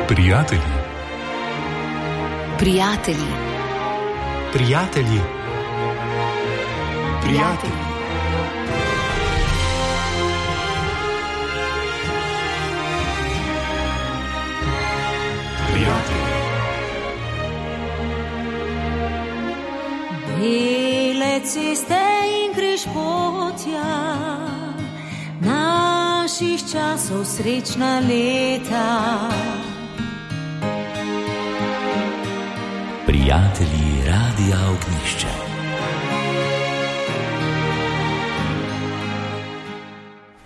Prijatelji. Prijatelji. Prijatelji. Prijatelji. Prijatelji. Bele ceste in križpotja naših časov, srečna leta. Prijatelji Radia Ognjišče.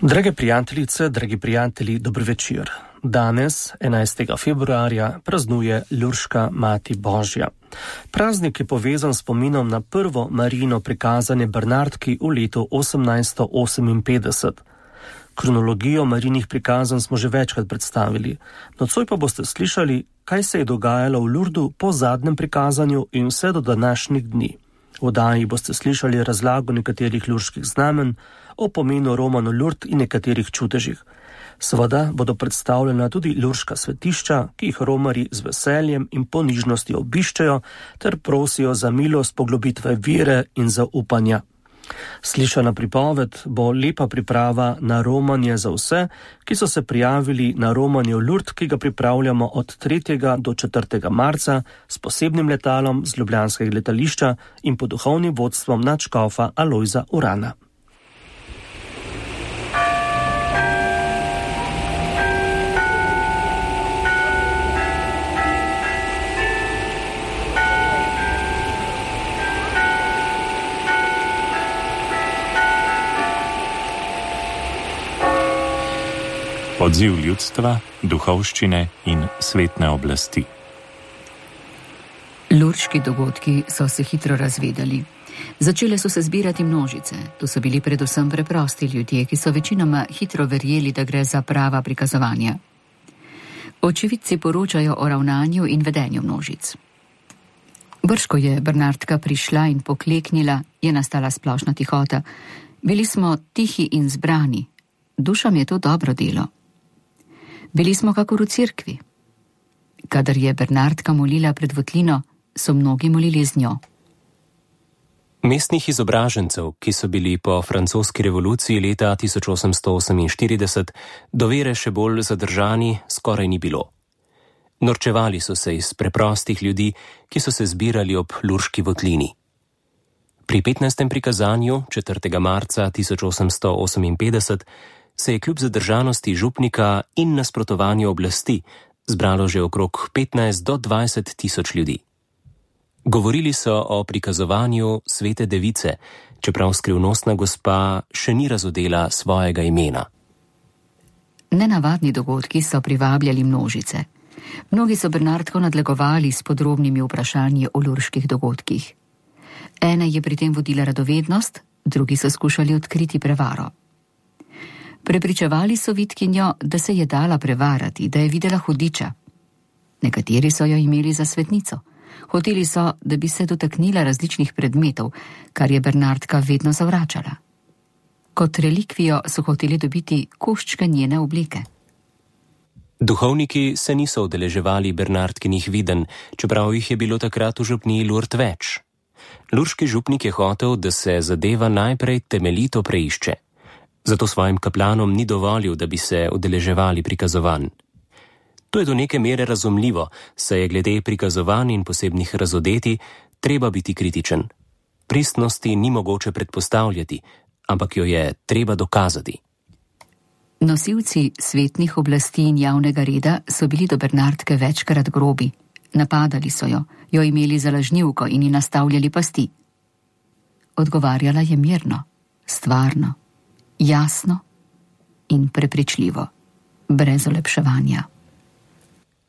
Drage prijateljice, dragi prijatelji, dober večer. Danes, 11. februarja, praznuje Lurška Mati Božja. Praznik je povezan s spominom na prvo Marijino prikazanje Bernardki v letu 1858. Kronologijo Marijinih prikazanj smo že večkrat predstavili. Nocoj pa boste slišali, kaj se je dogajalo v Lurdu po zadnjem prikazanju in vse do današnjih dni. V oddaji boste slišali razlago nekaterih lurških znamen, o pomenu Romanu Lurd in nekaterih čudežih. Seveda bodo predstavljena tudi lurška svetišča, ki jih romarji z veseljem in ponižnostjo obiščejo ter prosijo za milost poglobitve vere in zaupanja. Slišana pripoved bo lepa priprava na romanje za vse, ki so se prijavili na romanje v Lurd, ki ga pripravljamo od 3. do 4. marca s posebnim letalom z ljubljanskega letališča in pod duhovnim vodstvom nadškofa Alojza Urana. Odziv ljudstva, duhovščine in svetne oblasti. Lurški dogodki so se hitro razvedali. Začele so se zbirati množice. To so bili predvsem preprosti ljudje, ki so večinoma hitro verjeli, da gre za prava prikazovanja. Očividci poročajo o ravnanju in vedenju množic. Brž ko je Bernardka prišla in pokleknila, je nastala splošna tihota. Bili smo tihi in zbrani. Dušam je to dobro delo. Bili smo kakor v cerkvi. Kadar je Bernardka molila pred votlino, so mnogi molili z njo. Mestnih izobražencev, ki so bili po francoski revoluciji leta 1848 do vere še bolj zadržani, skoraj ni bilo. Norčevali so se iz preprostih ljudi, ki so se zbirali ob lurški votlini. Pri 15. prikazanju 4. marca 1858 se je kljub zadržanosti župnika in nasprotovanju oblasti zbralo že okrog 15 do 20 tisoč ljudi. Govorili so o prikazovanju svete device, čeprav skrivnostna gospa še ni razodela svojega imena. Nenavadni dogodki so privabljali množice. Mnogi so Bernardko nadlegovali s podrobnimi vprašanji o lurških dogodkih. Ene je pri tem vodila radovednost, drugi so skušali odkriti prevaro. Prepričevali so vitkinjo, da se je dala prevarati, da je videla hudiča. Nekateri so jo imeli za svetnico. Hoteli so, da bi se dotaknila različnih predmetov, kar je Bernardka vedno zavračala. Kot relikvijo so hoteli dobiti koščke njene obleke. Duhovniki se niso udeleževali Bernardkinih videnj, čeprav jih je bilo takrat v župniji Lurd več. Lurški župnik je hotel, da se zadeva najprej temeljito preišče. Zato svojim kaplanom ni dovolil, da bi se udeleževali prikazovanj. To je do neke mere razumljivo, saj je glede prikazovanj in posebnih razodeti treba biti kritičen. Pristnosti ni mogoče predpostavljati, ampak jo je treba dokazati. Nosilci svetnih oblasti in javnega reda so bili do Bernardke večkrat grobi. Napadali so jo imeli za lažnivko in ji nastavljali pasti. Odgovarjala je mirno, stvarno, jasno in prepričljivo, brez olepševanja.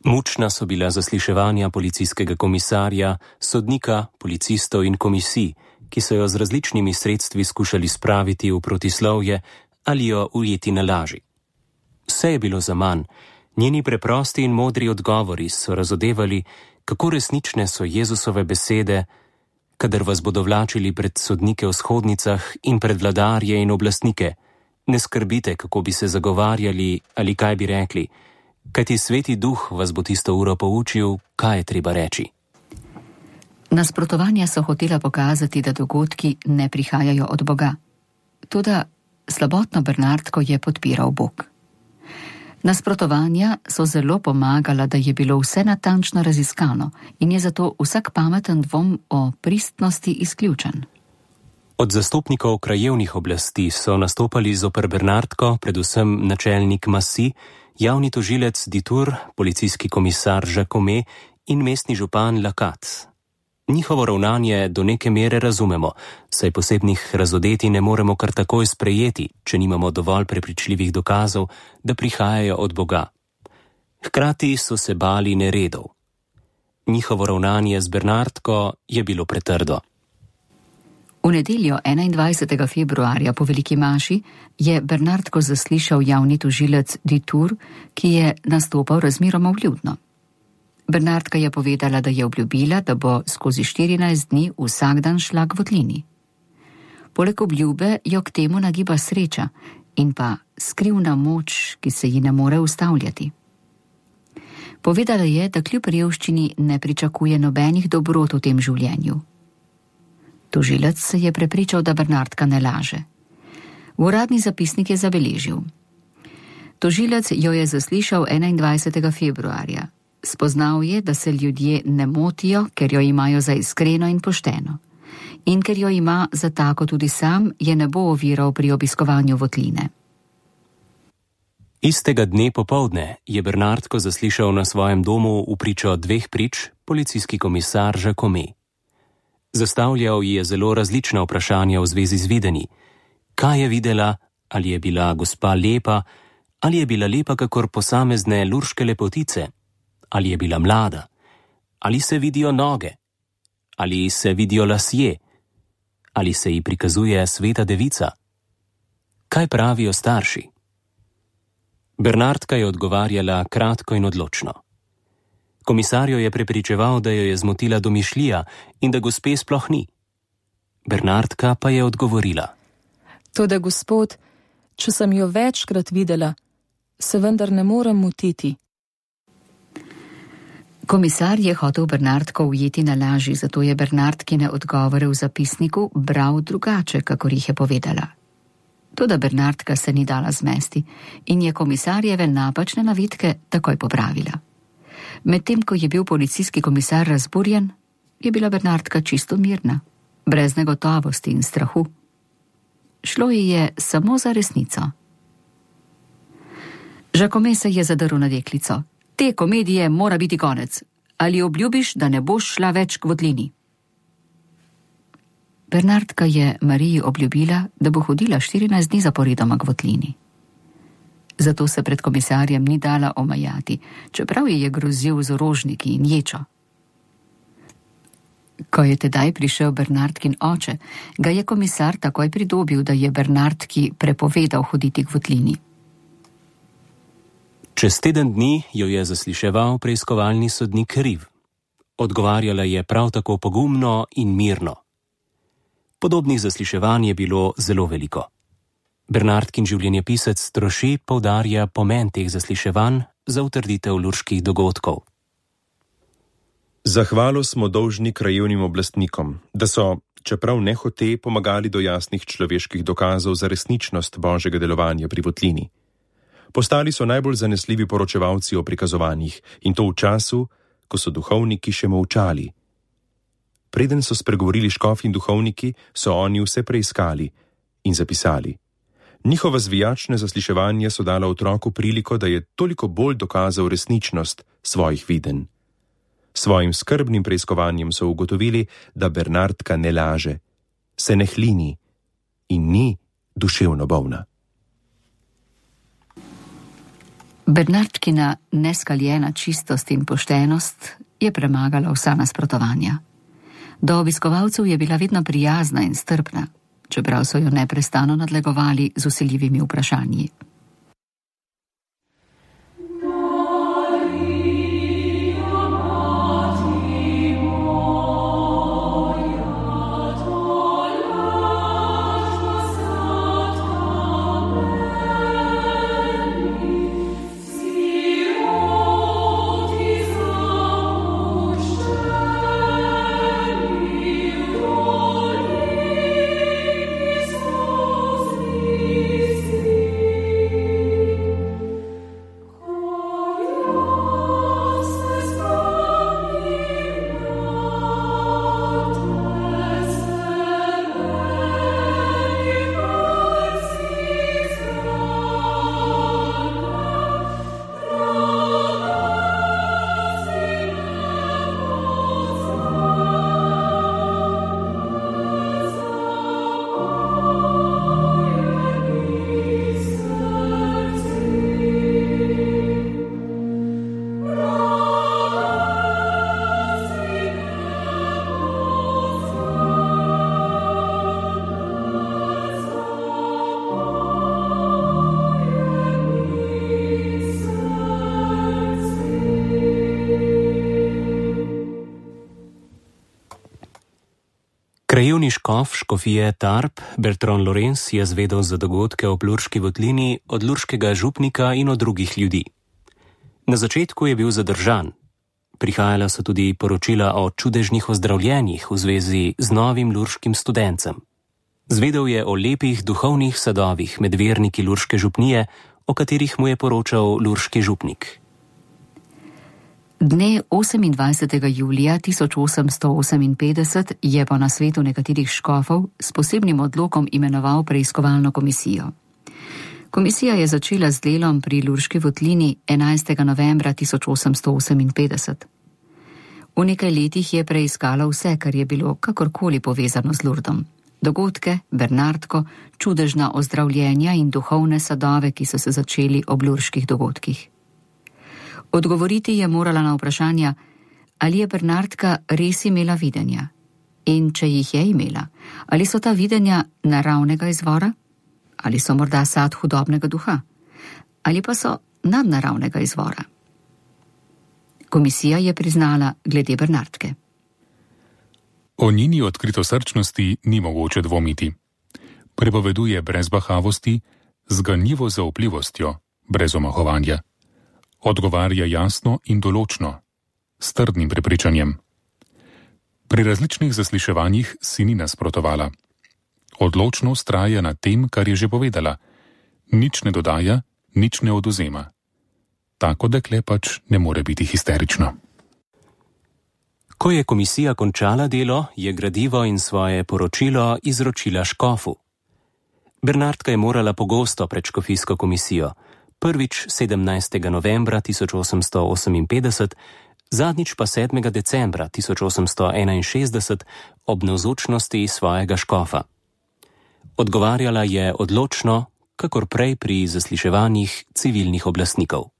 Mučna so bila zasliševanja policijskega komisarja, sodnika, policistov in komisij, ki so jo z različnimi sredstvi skušali spraviti v protislovje ali jo ujeti na laži. Vse je bilo zaman, njeni preprosti in modri odgovori so razodevali, kako resnične so Jezusove besede, kadar vas bodo vlačili pred sodnike v shodnicah in pred vladarje in oblastnike. Ne skrbite, kako bi se zagovarjali ali kaj bi rekli. Kajti Sveti Duh vas bo tisto uro poučil, kaj je treba reči. Nasprotovanja so hotela pokazati, da dogodki ne prihajajo od Boga. Toda slabotno Bernardko je podpiral Bog. Nasprotovanja so zelo pomagala, da je bilo vse natančno raziskano in je zato vsak pameten dvom o pristnosti izključen. Od zastopnikov krajevnih oblasti so nastopali zoper Bernardko predvsem načelnik Massy, javni tožilec Ditur, policijski komisar Jacome in mestni župan Lacat. Njihovo ravnanje do neke mere razumemo, saj posebnih razodeti ne moremo kar takoj sprejeti, če nimamo dovolj prepričljivih dokazov, da prihajajo od Boga. Hkrati so se bali neredov. Njihovo ravnanje z Bernardko je bilo pretrdo. V nedeljo 21. februarja po veliki maši je Bernardko zaslišal javni tožilec Ditur, ki je nastopal razmeroma vljudno. Bernardka je povedala, da je obljubila, da bo skozi 14 dni vsak dan šla k votlini. Poleg obljube jo k temu nagiba sreča in pa skrivna moč, ki se ji ne more ustavljati. Povedala je, da kljub revščini ne pričakuje nobenih dobrot v tem življenju. Tožilec se je prepričal, da Bernardka ne laže. V uradni zapisnik je zabeležil. Tožilec jo je zaslišal 21. februarja. Spoznal je, da se ljudje ne motijo, ker jo imajo za iskreno in pošteno. In ker jo ima za tako tudi sam, je ne bo oviral pri obiskovanju votline. Istega dne popoldne je Bernardko zaslišal na svojem domu v pričo dveh prič policijski komisar Jacome. Zastavljal ji je zelo različna vprašanja v zvezi z videni. Kaj je videla, ali je bila gospa lepa, ali je bila lepa kakor posamezne lurške lepotice, ali je bila mlada, ali se vidijo noge, ali se vidijo lasje, ali se ji prikazuje sveta devica. Kaj pravijo starši? Bernardka je odgovarjala kratko in odločno. Komisar jo je prepričeval, da jo je zmotila domišljija in da gospe sploh ni. Bernardka pa je odgovorila. Toda gospod, če sem jo večkrat videla, se vendar ne morem motiti. Komisar je hotel Bernardko ujeti na laži, zato je Bernardkine odgovore v zapisniku bral drugače, kakor jih je povedala. Toda Bernardka se ni dala zmesti in je komisarjeve napačne navedke takoj popravila. Medtem ko je bil policijski komisar razburjen, je bila Bernardka čisto mirna, brez negotovosti in strahu. Šlo ji je samo za resnico. Jacome se je zadrl na deklico. Te komedije mora biti konec. Ali obljubiš, da ne boš šla več k votlini? Bernardka je Mariji obljubila, da bo hodila 14 dni zaporedoma k votlini. Zato se pred komisarjem ni dala omajati, čeprav ji je grozil z orožniki in ječo. Ko je tedaj prišel Bernardkin oče, ga je komisar takoj pridobil, da je Bernardki prepovedal hoditi k votlini. Čez teden dni jo je zasliševal preiskovalni sodnik Riv. Odgovarjala je prav tako pogumno in mirno. Podobnih zasliševanj je bilo zelo veliko. Bernardkin življenjepisec Troši poudarja pomen teh zasliševanj za utrditev lurških dogodkov. Zahvalo smo dolžni krajevnim oblastnikom, da so, čeprav nehote, pomagali do jasnih človeških dokazov za resničnost božjega delovanja pri votlini. Postali so najbolj zanesljivi poročevalci o prikazovanjih in to v času, ko so duhovniki še molčali. Preden so spregovorili škofi in duhovniki, so oni vse preiskali in zapisali. Njihova zvijačna zasliševanja so dala otroku priliko, da je toliko bolj dokazal resničnost svojih videnj. Svojim skrbnim preiskovanjem so ugotovili, da Bernardka ne laže, se ne hlini in ni duševno bolna. Bernardkina neskaljena čistost in poštenost je premagala vsa nasprotovanja. Do obiskovalcev je bila vedno prijazna in strpna, čeprav so jo neprestano nadlegovali z vsiljivimi vprašanji. Krajevni škof škofije Tarp, Bertrand Lorenz, je zvedel za dogodke ob Lurški votlini od lurškega župnika in od drugih ljudi. Na začetku je bil zadržan. Prihajala so tudi poročila o čudežnih ozdravljenjih v zvezi z novim lurškim studencem. Zvedel je o lepih duhovnih sadovih med verniki lurške župnije, o katerih mu je poročal lurški župnik. Dne 28. julija 1858 je po nasvetu nekaterih škofov s posebnim odlokom imenoval preiskovalno komisijo. Komisija je začela z delom pri Lurški votlini 11. novembra 1858. V nekaj letih je preiskala vse, kar je bilo kakorkoli povezano z Lurdom. Dogodke, Bernardko, čudežna ozdravljenja in duhovne sadove, ki so se začeli ob lurških dogodkih. Odgovoriti je morala na vprašanja, ali je Bernardka res imela videnja in če jih je imela, ali so ta videnja naravnega izvora, ali so morda sad hudobnega duha, ali pa so nadnaravnega izvora. Komisija je priznala glede Bernardke. O njeni odkritosrčnosti ni mogoče dvomiti. Prepoveduje brez bahavosti, z ganljivo zaupljivostjo, brez omahovanja. Odgovarja jasno in določno, s trdnim prepričanjem. Pri različnih zasliševanjih si ni nasprotovala. Odločno vztraja na tem, kar je že povedala. Nič ne dodaja, nič ne odvzema. Tako dekle pač ne more biti histerično. Ko je komisija končala delo, je gradivo in svoje poročilo izročila škofu. Bernardka je morala pogosto pred škofijsko komisijo, prvič 17. novembra 1858, zadnjič pa 7. decembra 1861 ob navzočnosti svojega škofa. Odgovarjala je odločno, kakor prej pri zasliševanjih civilnih oblastnikov.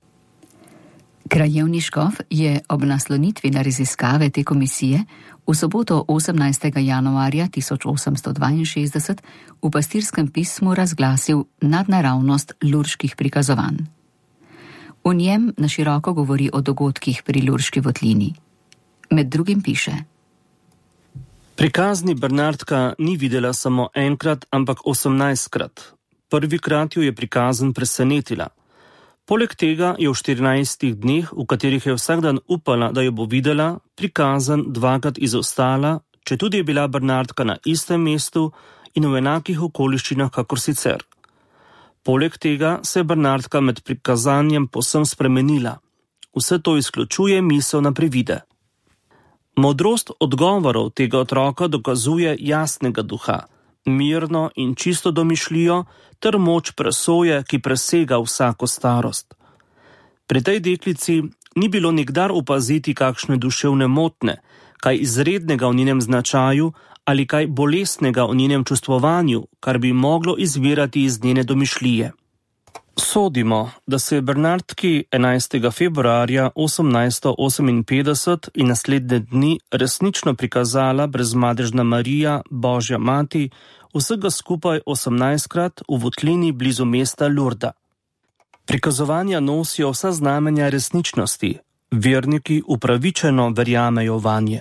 Krajevni škof je ob naslonitvi na raziskave te komisije v soboto 18. januarja 1862 v pastirskem pismu razglasil nadnaravnost lurških prikazovanj. V njem na široko govori o dogodkih pri Lurški votlini. Med drugim piše: Prikazni Bernardka ni videla samo enkrat, ampak 18krat. Prvikrat jo je prikazen presenetila. Poleg tega je v 14 dneh, v katerih je vsak dan upala, da jo bo videla, prikazen dvakrat izostala, četudi je bila Bernardka na istem mestu in v enakih okoliščinah kakor sicer. Poleg tega se je Bernardka med prikazanjem povsem spremenila. Vse to izključuje misel na privide. Modrost odgovorov tega otroka dokazuje jasnega duha, mirno in čisto domišljijo ter moč presoje, ki presega vsako starost. Pri tej deklici ni bilo nikdar opaziti kakšne duševne motne, kaj izrednega v njenem značaju ali kaj bolestnega v njenem čustvovanju, kar bi moglo izvirati iz njene domišljije. Sodimo, da se je Bernardki 11. februarja 1858 in naslednje dni resnično prikazala brezmadežna Marija, Božja mati, vsega skupaj 18krat v votlini blizu mesta Lurda. Prikazovanja nosijo vsa znamenja resničnosti, verniki upravičeno verjamejo vanje.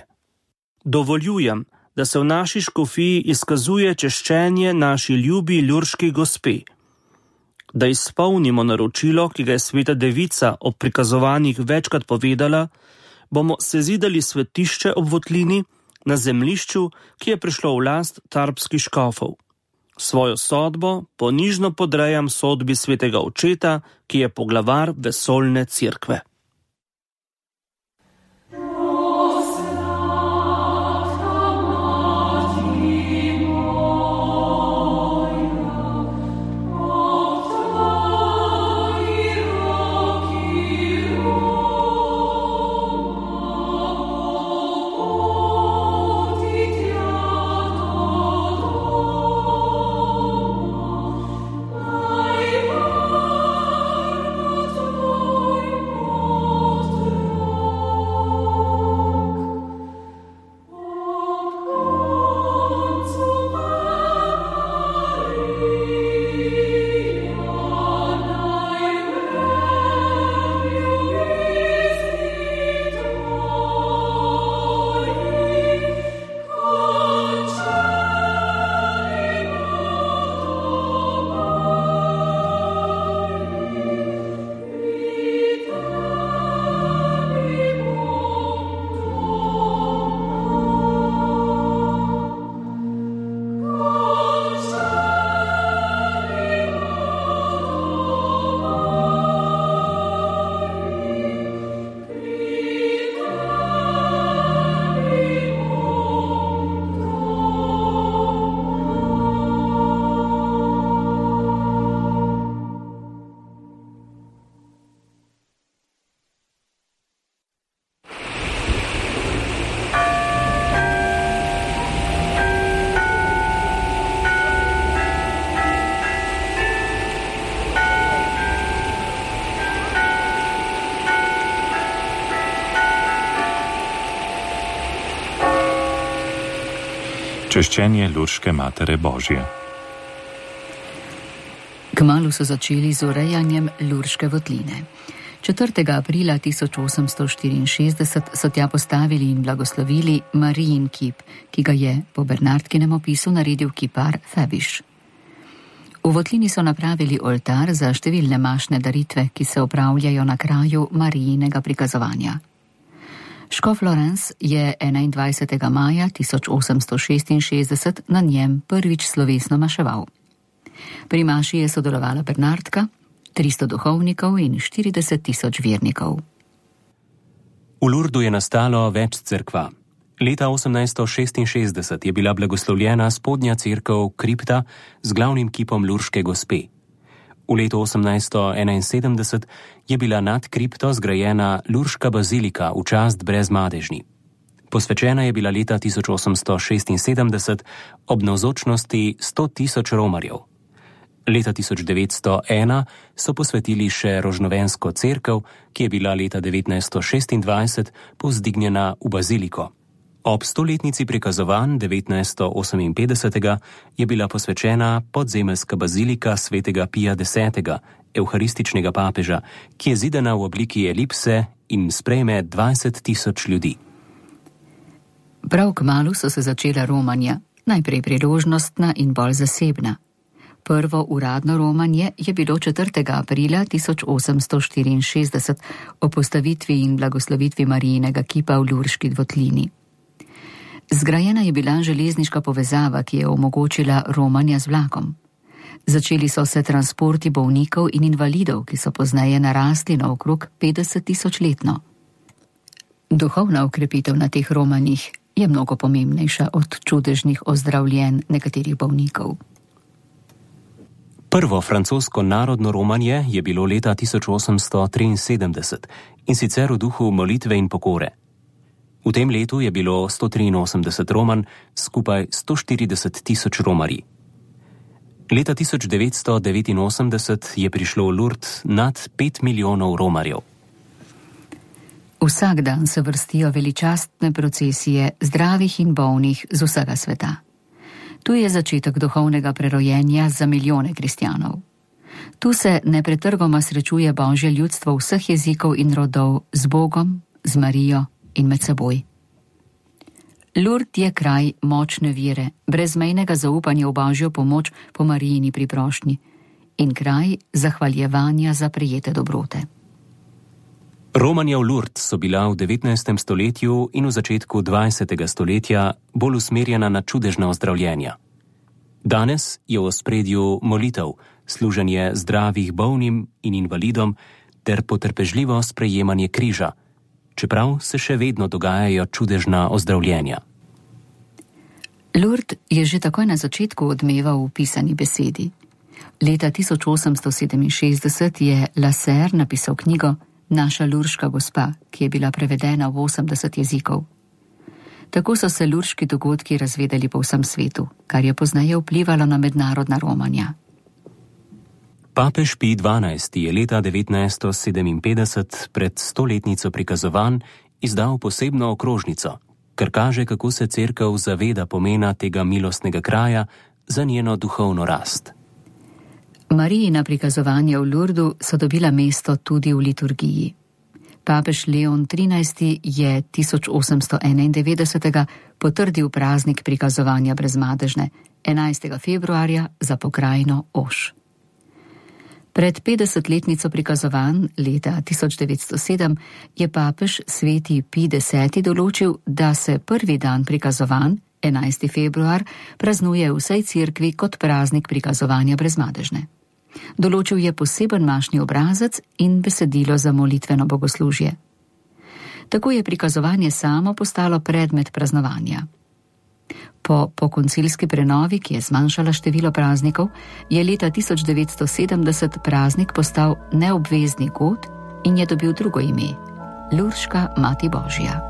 Dovoljujem, da se v naši škofiji izkazuje češčenje naši ljubi lurški gospe. Da izpolnimo naročilo, ki ga je sveta devica ob prikazovanjih večkrat povedala, bomo sezidali svetišče ob votlini na zemljišču, ki je prišlo v last tarpskih škofov. Svojo sodbo ponižno podrejam sodbi svetega očeta, ki je poglavar vesoljne cerkve. Češčenje Lurške Matere Božje. Kmalu so začeli z urejanjem Lurške votline. 4. aprila 1864 so tja postavili in blagoslovili Marijin kip, ki ga je po Bernardkinem opisu naredil kipar Febiš. V votlini so napravili oltar za številne mašne daritve, ki se opravljajo na kraju Marijinega prikazovanja. Škof Lorenz je 21. maja 1866 na njem prvič slovesno maševal. Pri maši je sodelovala Bernardka, 300 duhovnikov in 40.000 vernikov. V Lurdu je nastalo več cerkva. Leta 1866 je bila blagoslovljena spodnja cerkev kripta z glavnim kipom Lurške gospe. V letu 1871 je bila nad kripto zgrajena Lurška bazilika v čast Brezmadežni. Posvečena je bila leta 1876 ob navzočnosti 100.000 romarjev. Leta 1901 so posvetili še Rožnovensko cerkev, ki je bila leta 1926 povzdignjena v baziliko. Ob 100-letnici prikazovanj 1958 je bila posvečena podzemeljska bazilika svetega Pija X., evharističnega papeža, ki je zidana v obliki elipse in sprejme 20.000 ljudi. Prav kmalu so se začela romanja, najprej priložnostna in bolj zasebna. Prvo uradno romanje je bilo 4. aprila 1864 o postavitvi in blagoslovitvi Marijinega kipa v Lurški votlini. Zgrajena je bila železniška povezava, ki je omogočila romanja z vlakom. Začeli so se transporti bolnikov in invalidov, ki so pozneje narasli na okrog 50.000 letno. Duhovna okrepitev na teh romanjih je mnogo pomembnejša od čudežnih ozdravljenj nekaterih bolnikov. Prvo francosko narodno romanje je bilo leta 1873 in sicer v duhu molitve in pokore. V tem letu je bilo 183 romanj, skupaj 140.000 romarji. Leta 1989 je prišlo v Lourdes nad 5 milijonov romarjev. Vsak dan se vrstijo veličastne procesije zdravih in bolnih z vsega sveta. Tu je začetek duhovnega prerojenja za milijone kristjanov. Tu se nepretrgoma srečuje Božje ljudstvo vseh jezikov in rodov z Bogom, z Marijo in med seboj. Lourdes je kraj močne vere, brezmejnega zaupanja v Božjo pomoč po Marijini priprošnji in kraj zahvaljevanja za prejete dobrote. Romanja v Lourdes so bila v 19. stoletju in v začetku 20. stoletja bolj usmerjena na čudežna ozdravljenja. Danes je v ospredju molitev, služenje zdravih bolnim in invalidom ter potrpežljivo sprejemanje križa, čeprav se še vedno dogajajo čudežna ozdravljenja. Lourdes je že takoj na začetku odmeval v pisani besedi. Leta 1867 je Lasserre napisal knjigo Naša Lurška gospa, ki je bila prevedena v 80 jezikov. Tako so se lurški dogodki razvedeli po vsem svetu, kar je pozneje vplivalo na mednarodna romanja. Papež Pij XII. Je leta 1957 pred 100-letnico prikazovanj izdal posebno okrožnico, kar kaže, kako se cerkev zaveda pomena tega milostnega kraja za njeno duhovno rast. Marijina prikazovanja v Lourdu so dobila mesto tudi v liturgiji. Papež Leon XIII. Je 1891. potrdil praznik prikazovanja Brezmadežne 11. februarja za pokrajino Oš. Pred 50-letnico prikazovanj leta 1907 je papež sveti Pij X. določil, da se prvi dan prikazovanj, 11. februar, praznuje v vsej cerkvi kot praznik prikazovanja Brezmadežne. Določil je poseben mašni obrazec in besedilo za molitveno bogoslužje. Tako je prikazovanje samo postalo predmet praznovanja. Po koncilski prenovi, ki je zmanjšala število praznikov, je leta 1970 praznik postal neobvezni god in je dobil drugo ime – Lurška Mati Božja.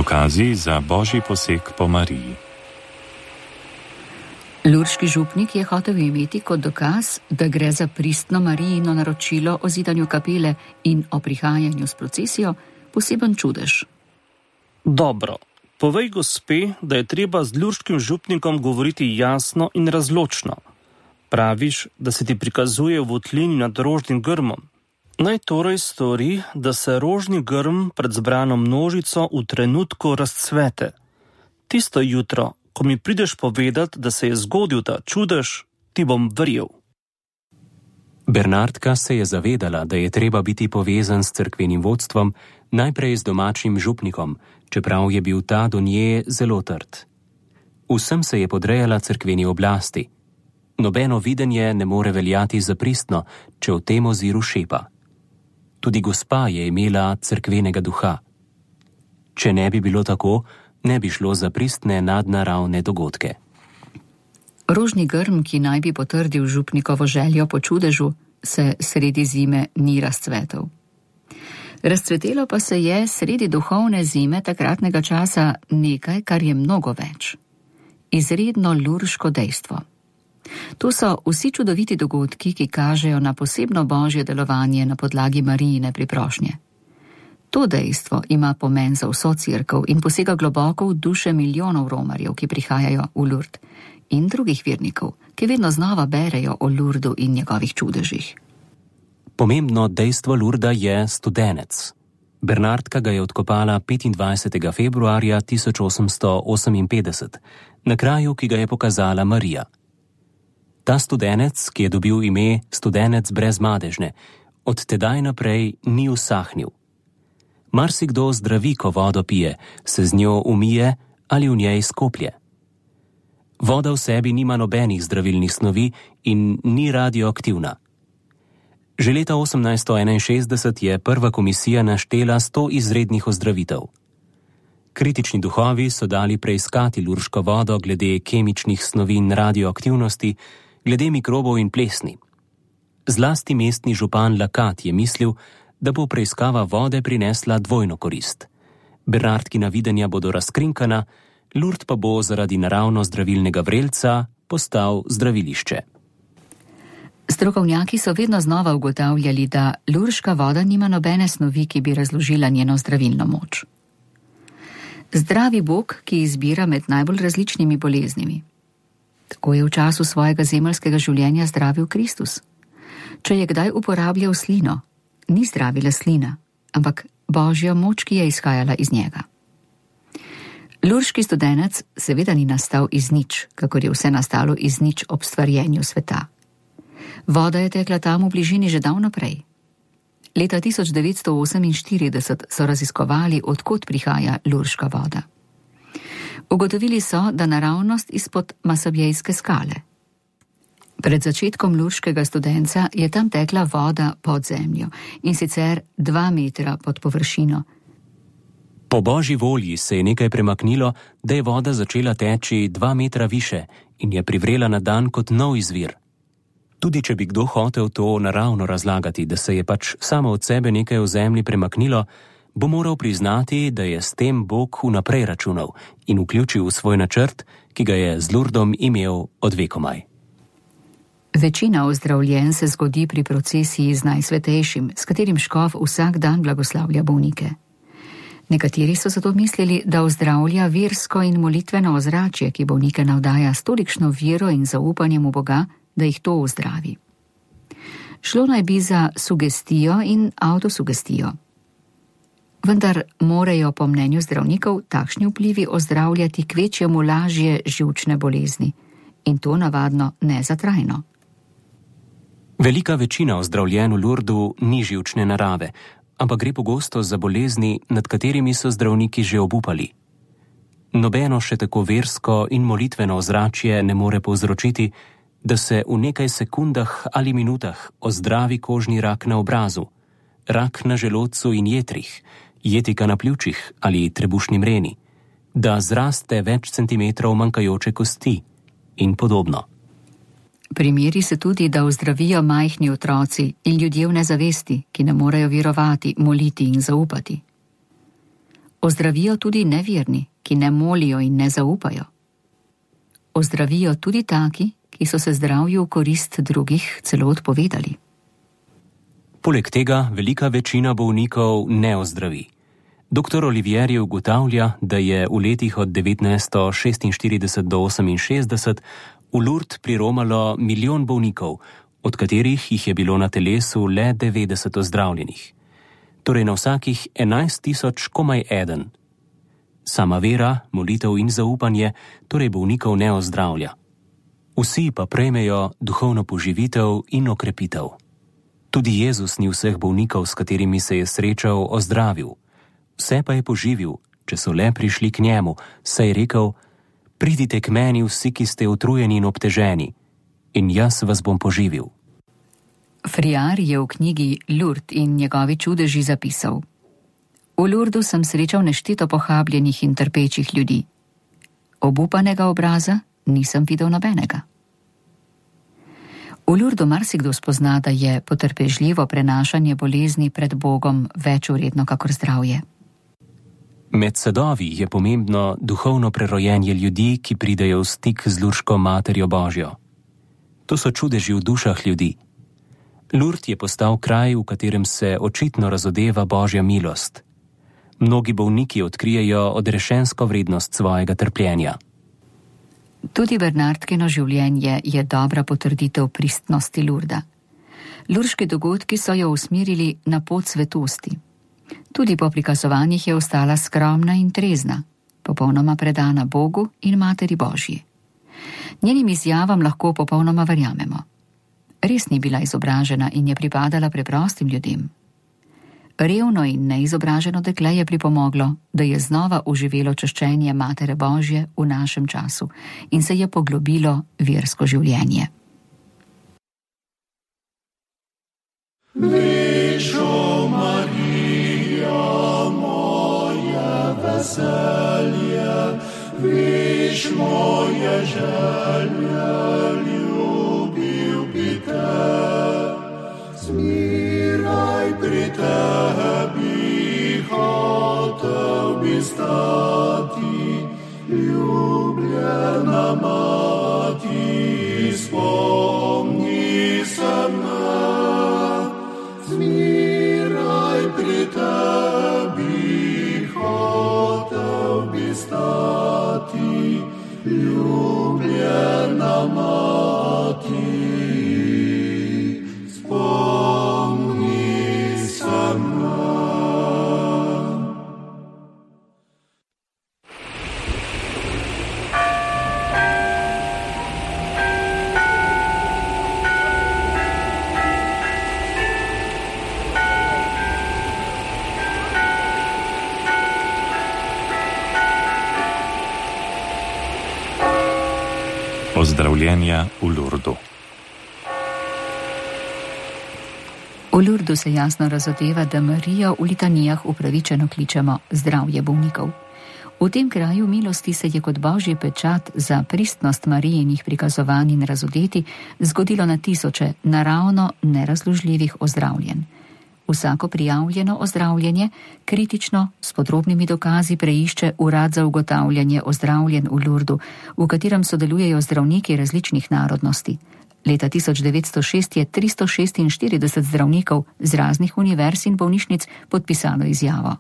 Dokazi za božji poseg po Mariji. Lurški župnik je hotel imeti kot dokaz, da gre za pristno Marijino naročilo o zidanju kapele in o prihajanju s procesijo, poseben čudež. Dobro, povej gospe, da je treba z lurškim župnikom govoriti jasno in razločno. Praviš, da se ti prikazuje v votlini nad rožnim grmom. Naj torej stori, da se rožni grm pred zbrano množico v trenutku razcvete. Tisto jutro, ko mi prideš povedati, da se je zgodil ta čudež, ti bom verjel. Bernardka se je zavedala, da je treba biti povezan s cerkvenim vodstvom, najprej z domačim župnikom, čeprav je bil ta do nje zelo trd. Vsem se je podrejala cerkveni oblasti. Nobeno videnje ne more veljati za pristno, če v tem oziru šepa. Tudi gospa je imela cerkvenega duha. Če ne bi bilo tako, ne bi šlo za pristne nadnaravne dogodke. Rožni grm, ki naj bi potrdil župnikovo željo po čudežu, se sredi zime ni razcvetel. Razcvetelo pa se je sredi duhovne zime takratnega časa nekaj, kar je mnogo več. Izredno lurško dejstvo. To so vsi čudoviti dogodki, ki kažejo na posebno božje delovanje na podlagi Marijine priprošnje. To dejstvo ima pomen za vso cerkev in posega globoko v duše milijonov romarjev, ki prihajajo v Lurd, in drugih vernikov, ki vedno znova berejo o Lurdu in njegovih čudežih. Pomembno dejstvo Lurda je studenec. Bernardka ga je odkopala 25. februarja 1858, na kraju, ki ga je pokazala Marija. Ta studenec, ki je dobil ime studenec brez madežne, od tedaj naprej ni usahnil. Marsikdo zdravi, ko vodo pije, se z njo umije ali v njej skoplje. Voda v sebi nima nobenih zdravilnih snovi in ni radioaktivna. Že leta 1861 je prva komisija naštela 100 izrednih ozdravitev. Kritični duhovi so dali preiskati lurško vodo glede kemičnih snovi in radioaktivnosti, glede mikrobov in plesni. Zlasti mestni župan Lakat je mislil, da bo preiskava vode prinesla dvojno korist. Bernardkina videnja bodo razkrinkana, Lurd pa bo zaradi naravno zdravilnega vrelca postal zdravilišče. Strokovnjaki so vedno znova ugotavljali, da lurška voda nima nobene snovi, ki bi razložila njeno zdravilno moč. Zdravi Bog, ki izbira med najbolj različnimi boleznimi. Tako je v času svojega zemeljskega življenja zdravil Kristus. Če je kdaj uporabljal slino, ni zdravila slina, ampak božja moč, ki je izhajala iz njega. Lurški studenec seveda ni nastal iz nič, kakor je vse nastalo iz nič ob stvarjenju sveta. Voda je tekla tam v bližini že davno prej. Leta 1948 so raziskovali, odkot prihaja lurška voda. Ugotovili so, da naravnost izpod Masabjejske skale. Pred začetkom lurškega studenca je tam tekla voda pod zemljo, in sicer 2 metra pod površino. Po božji volji se je nekaj premaknilo, da je voda začela teči 2 metra više in je privrela na dan kot nov izvir. Tudi če bi kdo hotel to naravno razlagati, da se je pač samo od sebe nekaj v zemlji premaknilo, bo moral priznati, da je s tem Bog vnaprej računal in vključil v svoj načrt, ki ga je z Lurdom imel od vekomaj. Večina ozdravljenj se zgodi pri procesiji z Najsvetejšim, s katerim škof vsak dan blagoslavlja bolnike. Nekateri so zato mislili, da ozdravlja versko in molitveno ozračje, ki bolnike navdaja s tolikšno vero in zaupanjem v Boga, da jih to ozdravi. Šlo naj bi za sugestijo in avtosugestijo. Vendar morajo po mnenju zdravnikov takšni vplivi ozdravljati kvečjemu lažje živčne bolezni, in to navadno ne za trajno. Velika večina ozdravljen v Lurdu ni živčne narave, ampak gre pogosto za bolezni, nad katerimi so zdravniki že obupali. Nobeno še tako versko in molitveno ozračje ne more povzročiti, da se v nekaj sekundah ali minutah ozdravi kožni rak na obrazu, rak na želodcu in jetrih, jetika na pljučih ali trebušni mreni, da zraste več centimetrov manjkajoče kosti in podobno. Primeri se tudi, da ozdravijo majhni otroci in ljudje v nezavesti, ki ne morejo verovati, moliti in zaupati. Ozdravijo tudi neverni, ki ne molijo in ne zaupajo. Ozdravijo tudi taki, ki so se zdravju v korist drugih celo odpovedali. Poleg tega velika večina bolnikov ne ozdravi. Dr. Olivieri ugotavlja, da je v letih od 1946 do 1968 v Lourdes priromalo 1 milijon bolnikov, od katerih jih je bilo na telesu le 90 ozdravljenih. Torej na vsakih 11.000 komaj eden. Sama vera, molitev in zaupanje torej bolnikov ne ozdravlja. Vsi pa prejmejo duhovno poživitev in okrepitev. Tudi Jezus ni vseh bolnikov, s katerimi se je srečal, ozdravil. Vse pa je poživil, če so le prišli k njemu, saj je rekel: pridite k meni vsi, ki ste utrujeni in obteženi, in jaz vas bom poživil. Friar je v knjigi Lourdes in njegovi čudeži zapisal: v Lourdu sem srečal nešteto pohabljenih in trpečih ljudi. Obupanega obraza nisem videl nobenega. V Lourdu marsikdo spozna, da je potrpežljivo prenašanje bolezni pred Bogom več vredno kakor zdravje. Med sadovi je pomembno duhovno prerojenje ljudi, ki pridejo v stik z Lurško Materjo Božjo. To so čudeži v dušah ljudi. Lourdes je postal kraj, v katerem se očitno razodeva Božja milost. Mnogi bolniki odkrijejo odrešensko vrednost svojega trpljenja. Tudi Bernardkino življenje je dobra potrditev pristnosti Lourda. Lurški dogodki so jo usmerili na pot svetosti. Tudi po prikazovanjih je ostala skromna in trezna, popolnoma predana Bogu in Materi Božji. Njenim izjavam lahko popolnoma verjamemo. Res ni bila izobražena in je pripadala preprostim ljudem. Revno in neizobraženo dekle je pripomoglo, da je znova oživelo čaščenje Matere Božje v našem času in se je poglobilo versko življenje. Višo Marija, moje veselje, viš moje želje, ljubil bi te. Zmiraj pri tebi, hotel bi stati, ljubljena mati, spomni se me. Zmiraj pri tebi, hotel bi stati, ljubljena mati, spomni se me. Pozdravljenja v Lourdu. V Lourdu se jasno razodeva, da Marijo v litanijah upravičeno kličemo zdravje bolnikov. V tem kraju milosti se je kot božji pečat za pristnost Marijinih prikazovanj in razodeti zgodilo na tisoče naravno nerazložljivih ozdravljenj. Vsako prijavljeno ozdravljenje kritično s podrobnimi dokazi preišče urad za ugotavljanje ozdravljenj v Lourdu, v katerem sodelujejo zdravniki različnih narodnosti. Leta 1906 je 346 zdravnikov z raznih univerz in bolnišnic podpisalo izjavo.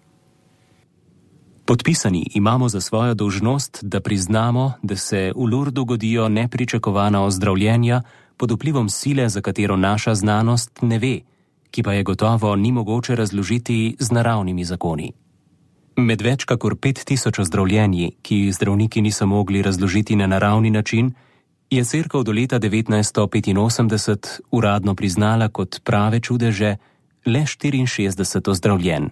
Podpisani imamo za svojo dolžnost, da priznamo, da se v Lourdu godijo nepričakovana ozdravljenja pod vplivom sile, za katero naša znanost ne ve, ki pa je gotovo ni mogoče razložiti z naravnimi zakoni. Med več kakor 5000 ozdravljenji, ki jih zdravniki niso mogli razložiti na naravni način, je Cerkev do leta 1985 uradno priznala kot prave čudeže le 64 ozdravljenj.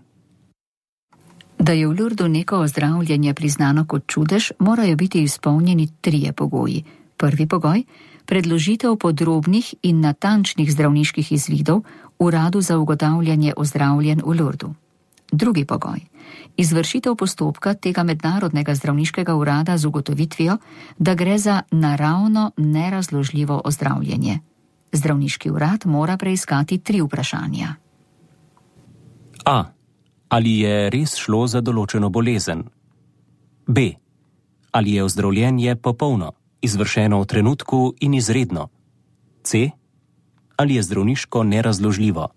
Da je v Lourdu neko ozdravljenje priznano kot čudež, morajo biti izpolnjeni 3 pogoji. Prvi pogoj: predložitev podrobnih in natančnih zdravniških izvidov uradu za ugotavljanje ozdravljenj v Lourdu. Drugi pogoj: izvršitev postopka tega mednarodnega zdravniškega urada z ugotovitvijo, da gre za naravno nerazložljivo ozdravljenje. Zdravniški urad mora preiskati 3 vprašanja. A. Ali je res šlo za določeno bolezen? B. Ali je ozdravljenje popolno, izvršeno v trenutku in izredno? C. Ali je zdravniško nerazložljivo?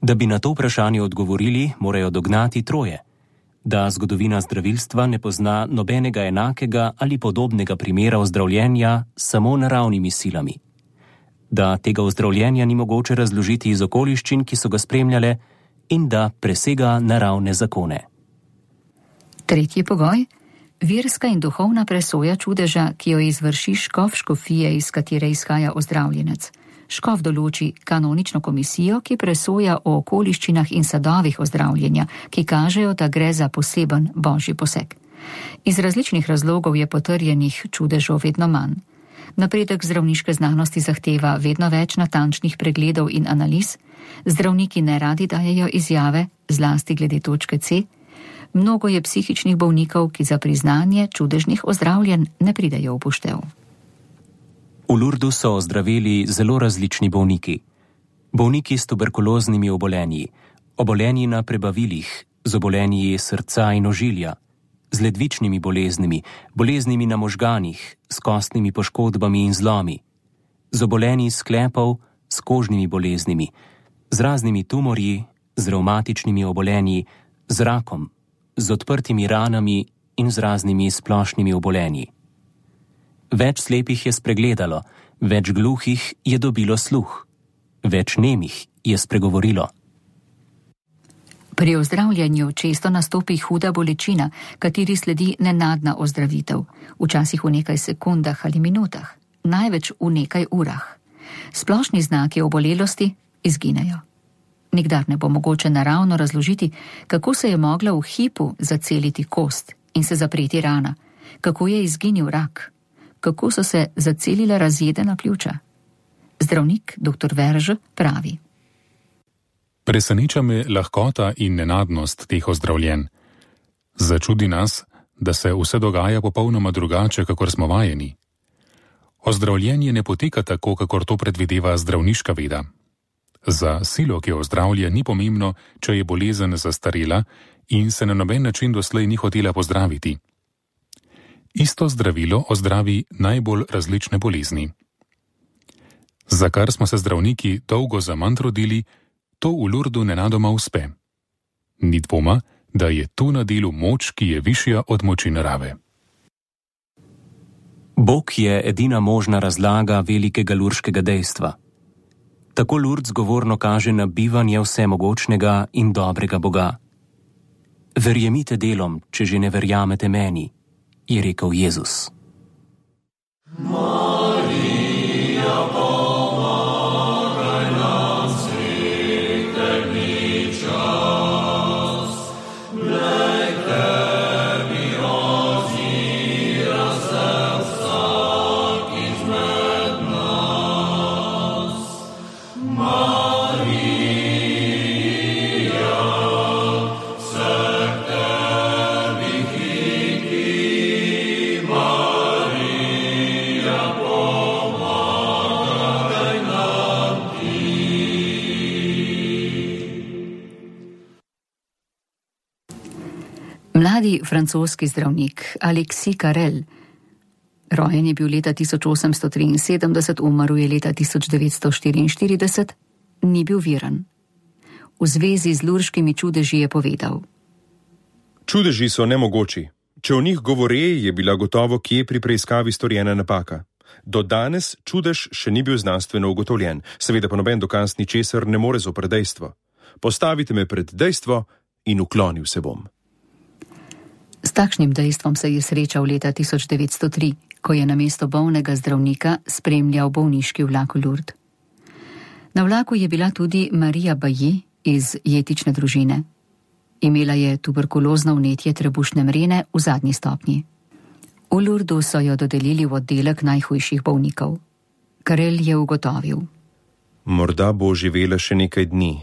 Da bi na to vprašanje odgovorili, morajo dognati troje: da zgodovina zdravilstva ne pozna nobenega enakega ali podobnega primera ozdravljenja samo naravnimi silami, da tega ozdravljenja ni mogoče razložiti iz okoliščin, ki so ga spremljale, in da presega naravne zakone. Tretji pogoj: verska in duhovna presoja čudeža, ki jo izvrši škof škofije, iz katere izhaja ozdravljenec. Škof določi kanonično komisijo, ki presoja o okoliščinah in sadovih ozdravljenja, ki kažejo, da gre za poseben božji poseg. Iz različnih razlogov je potrjenih čudežov vedno manj. Napredek zdravniške znanosti zahteva vedno več natančnih pregledov in analiz, zdravniki neradi dajejo izjave, zlasti glede točke C. Mnogo je psihičnih bolnikov, ki za priznanje čudežnih ozdravljenj ne pridejo v poštev. V Lurdu so ozdravili zelo različni bolniki. Bolniki s tuberkuloznimi obolenji, obolenji na prebavilih, z obolenji srca in ožilja, z ledvičnimi boleznimi, boleznimi na možganih, s kostnimi poškodbami in zlomi, z obolenji sklepov, s kožnimi boleznimi, z raznimi tumorji, z revmatičnimi obolenji, z rakom, z odprtimi ranami in z raznimi splošnimi obolenji. Več slepih je spregledalo, več gluhih je dobilo sluh, več nemih je spregovorilo. Pri ozdravljanju često nastopi huda bolečina, kateri sledi nenadna ozdravitev, včasih v nekaj sekundah ali minutah, največ v nekaj urah. Splošni znaki obolelosti izginejo. Nikdar ne bo mogoče naravno razložiti, kako se je mogla v hipu zaceliti kost in se zapreti rana, kako je izginil rak, kako so se zacelila razjedena pljuča. Zdravnik dr. Verž pravi: Preseneča me lahkota in nenadnost teh ozdravljenj. Začudi nas, da se vse dogaja popolnoma drugače, kakor smo vajeni. Ozdravljenje ne poteka tako, kakor to predvideva zdravniška veda. Za silo, ki ozdravlja, ni pomembno, če je bolezen zastarela in se na noben način doslej ni hotela pozdraviti. Isto zdravilo ozdravi najbolj različne bolezni. Za kar smo se zdravniki dolgo zaman trudili, to v Lurdu nenadoma uspe. Ni dvoma, da je tu na delu moč, ki je višja od moči narave. Bog je edina možna razlaga velikega lurškega dejstva. Tako Lurd zgovorno kaže na bivanje vsemogočnega in dobrega Boga. Verjemite delom, če že ne verjamete meni, je rekel Jezus. Mladi francoski zdravnik Alexis Carrel, rojen je bil leta 1873, umrl je leta 1944, ni bil viren. V zvezi z lurškimi čudeži je povedal: Čudeži so nemogoči. Če o njih govore, je bila gotovo kje pri preiskavi storjena napaka. Do danes čudež še ni bil znanstveno ugotovljen, seveda pa noben dokaz ničesar ne more zoper dejstvo. Postavite me pred dejstvo in uklonil se bom. S takšnim dejstvom se je srečal leta 1903, ko je namesto bolnega zdravnika spremljal bolniški vlak v Lourdes. Na vlaku je bila tudi Marija Bailly iz jetične družine. Imela je tuberkulozno vnetje trebušne mrene v zadnji stopnji. V Lourdu so jo dodelili v oddelek najhujših bolnikov. Carrel je ugotovil: Morda bo živela še nekaj dni,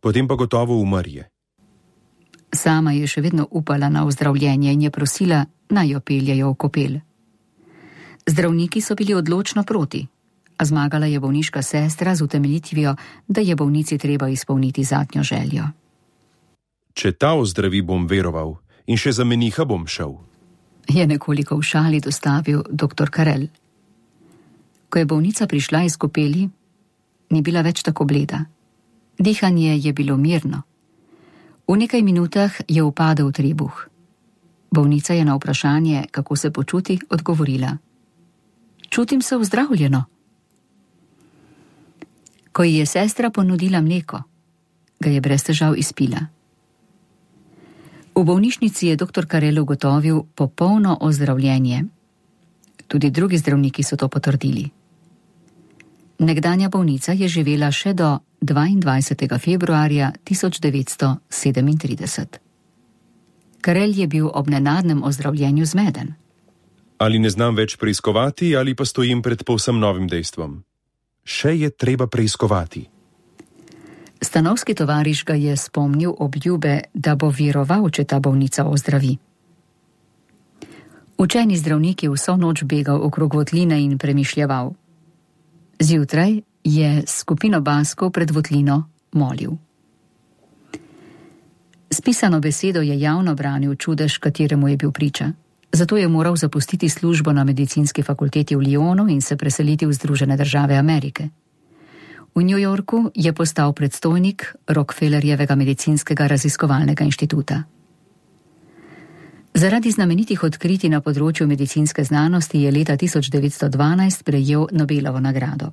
potem pa gotovo umrje. Sama je še vedno upala na ozdravljenje in je prosila, naj jo peljejo v kopel. Zdravniki so bili odločno proti, a zmagala je bolniška sestra z utemeljitvijo, da je bolnici treba izpolniti zadnjo željo. Če ta ozdravi, bom veroval in še za meniha bom šel. Je nekoliko v šali dostavil dr. Karel. Ko je bolnica prišla iz kopeli, ni bila več tako bleda. Dihanje je bilo mirno. V nekaj minutah je upadel trebuh. Bolnica je na vprašanje, kako se počuti, odgovorila: čutim se ozdravljeno. Ko ji je sestra ponudila mleko, ga je brez težav izpila. V bolnišnici je dr. Karel ugotovil popolno ozdravljenje. Tudi drugi zdravniki so to potrdili. Nekdanja bolnica je živela še do 22. februarja 1937. Karel je bil ob nenadnem ozdravljenju zmeden. Ali ne znam več preiskovati, ali pa stojim pred povsem novim dejstvom. Še je treba preiskovati. Stanovski tovariš ga je spomnil obljube, da bo veroval, če ta bolnica ozdravi. Učeni zdravnik je vso noč begal okrog votline in premišljeval. Zjutraj je skupino baskov pred votlino molil. S pisano besedo je javno branil čudež, kateremu je bil priča. Zato je moral zapustiti službo na medicinski fakulteti v Lyonu in se preseliti v Združene države Amerike. V New Yorku je postal predstojnik Rockefellerjevega medicinskega raziskovalnega inštituta. Zaradi znamenitih odkritij na področju medicinske znanosti je leta 1912 prejel Nobelovo nagrado.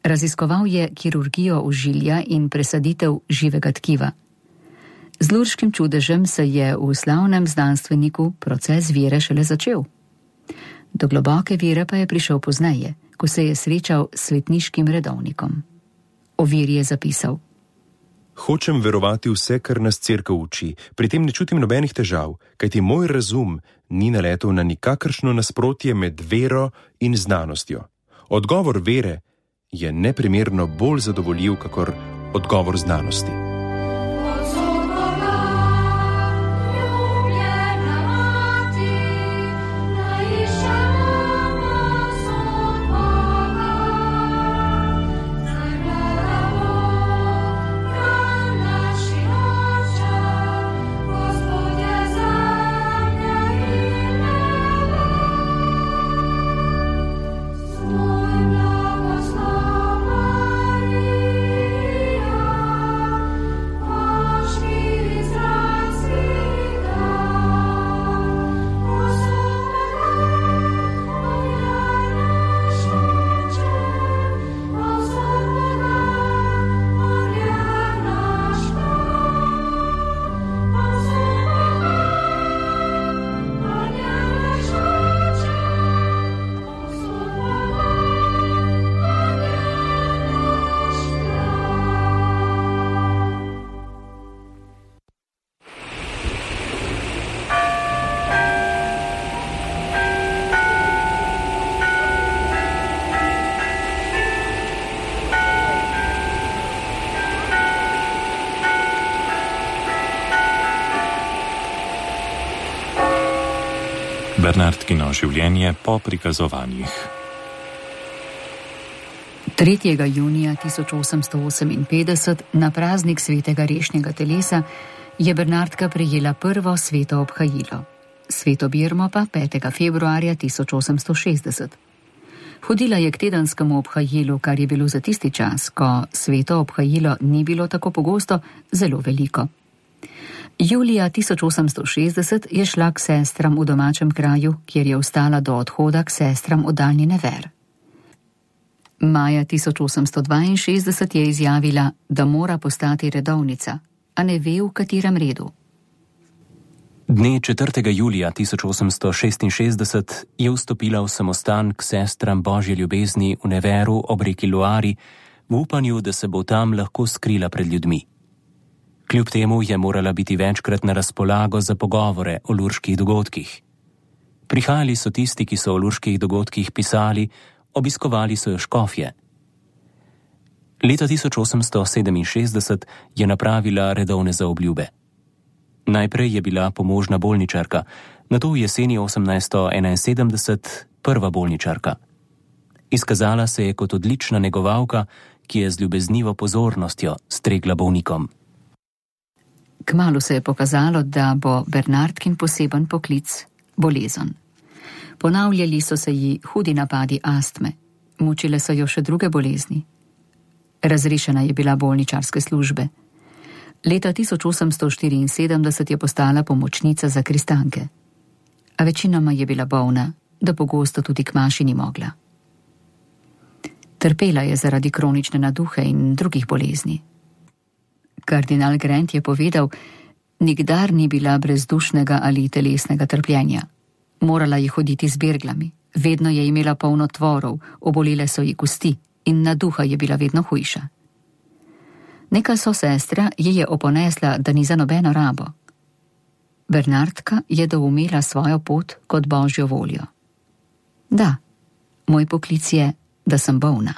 Raziskoval je kirurgijo ožilja in presaditev živega tkiva. Z lurškim čudežem se je v slavnem znanstveniku proces vere šele začel. Do globoke vere pa je prišel pozneje, ko se je srečal s svetniškim redovnikom. O veri je zapisal: hočem verovati vse, kar nas cerkev uči, pri tem ne čutim nobenih težav, kajti moj razum ni naletel na nikakršno nasprotje med vero in znanostjo. Odgovor vere je neprimerno bolj zadovoljiv, kakor odgovor znanosti. Bernardkino življenje po prikazovanjih. 3. junija 1858 na praznik svetega rešnjega telesa je Bernardka prejela prvo sveto obhajilo. Sveto birmo pa 5. februarja 1860. Hodila je k tedenskemu obhajilu, kar je bilo za tisti čas, ko sveto obhajilo ni bilo tako pogosto, zelo veliko. Julija 1860 je šla k sestram v domačem kraju, kjer je ostala do odhoda k sestram v daljni Never. Maja 1862 je izjavila, da mora postati redovnica, a ne ve, v katerem redu. Dne 4. julija 1866 je vstopila v samostan k sestram Božje ljubezni v Neveru ob reki Loari, v upanju, da se bo tam lahko skrila pred ljudmi. Kljub temu je morala biti večkrat na razpolago za pogovore o lurških dogodkih. Prihajali so tisti, ki so o lurških dogodkih pisali, obiskovali so jo škofje. Leta 1867 je napravila redovne zaobljube. Najprej je bila pomožna bolničarka, nato v jeseni 1871 prva bolničarka. Izkazala se je kot odlična negovalka, ki je z ljubeznivo pozornostjo stregla bolnikom. Kmalu se je pokazalo, da bo Bernardkin poseben poklic bolezen. Ponavljali so se ji hudi napadi astme, mučile so jo še druge bolezni. Razrešena je bila bolničarske službe. Leta 1874 je postala pomočnica za kristanke, a večinoma je bila bolna, da pogosto tudi k maši ni mogla. Trpela je zaradi kronične naduhe in drugih bolezni. Kardinal Grant je povedal, nikdar ni bila brezdušnega ali telesnega trpljenja. Morala je hoditi z berglami, vedno je imela polno tvorov, obolele so ji kosti in naduha je bila vedno hujša. Neka sosestra ji je oponesla, da ni za nobeno rabo. Bernardka je doumela svojo pot kot Božjo voljo. Da, moj poklic je, da sem bolna.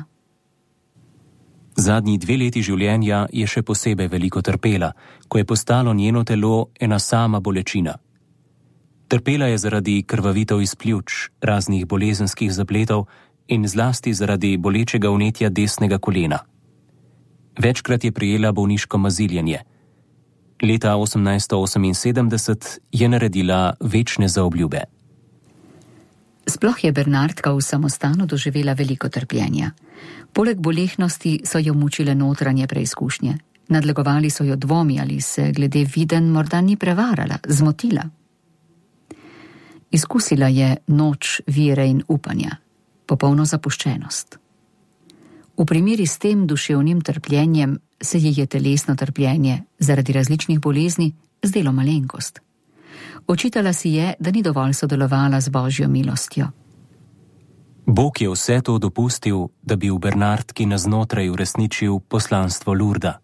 Zadnji 2 leti življenja je še posebej veliko trpela, ko je postalo njeno telo ena sama bolečina. Trpela je zaradi krvavitev iz pljuč, raznih bolezenskih zapletov in zlasti zaradi bolečega vnetja desnega kolena. Večkrat je prejela bolniško maziljenje. Leta 1878 je naredila večne zaobljube. Sploh je Bernardka v samostanu doživela veliko trpljenja. Poleg bolehnosti so jo mučile notranje preizkušnje. Nadlegovali so jo dvomi, ali se glede viden morda ni prevarala, zmotila. Izkusila je noč vere in upanja, popolno zapuščenost. V primeri s tem duševnim trpljenjem se ji je telesno trpljenje zaradi različnih bolezni zdelo malenkost. Očitala si je, da ni dovolj sodelovala z Božjo milostjo. Bog je vse to dopustil, da bi v Bernardki naznotraj uresničil poslanstvo Lurda.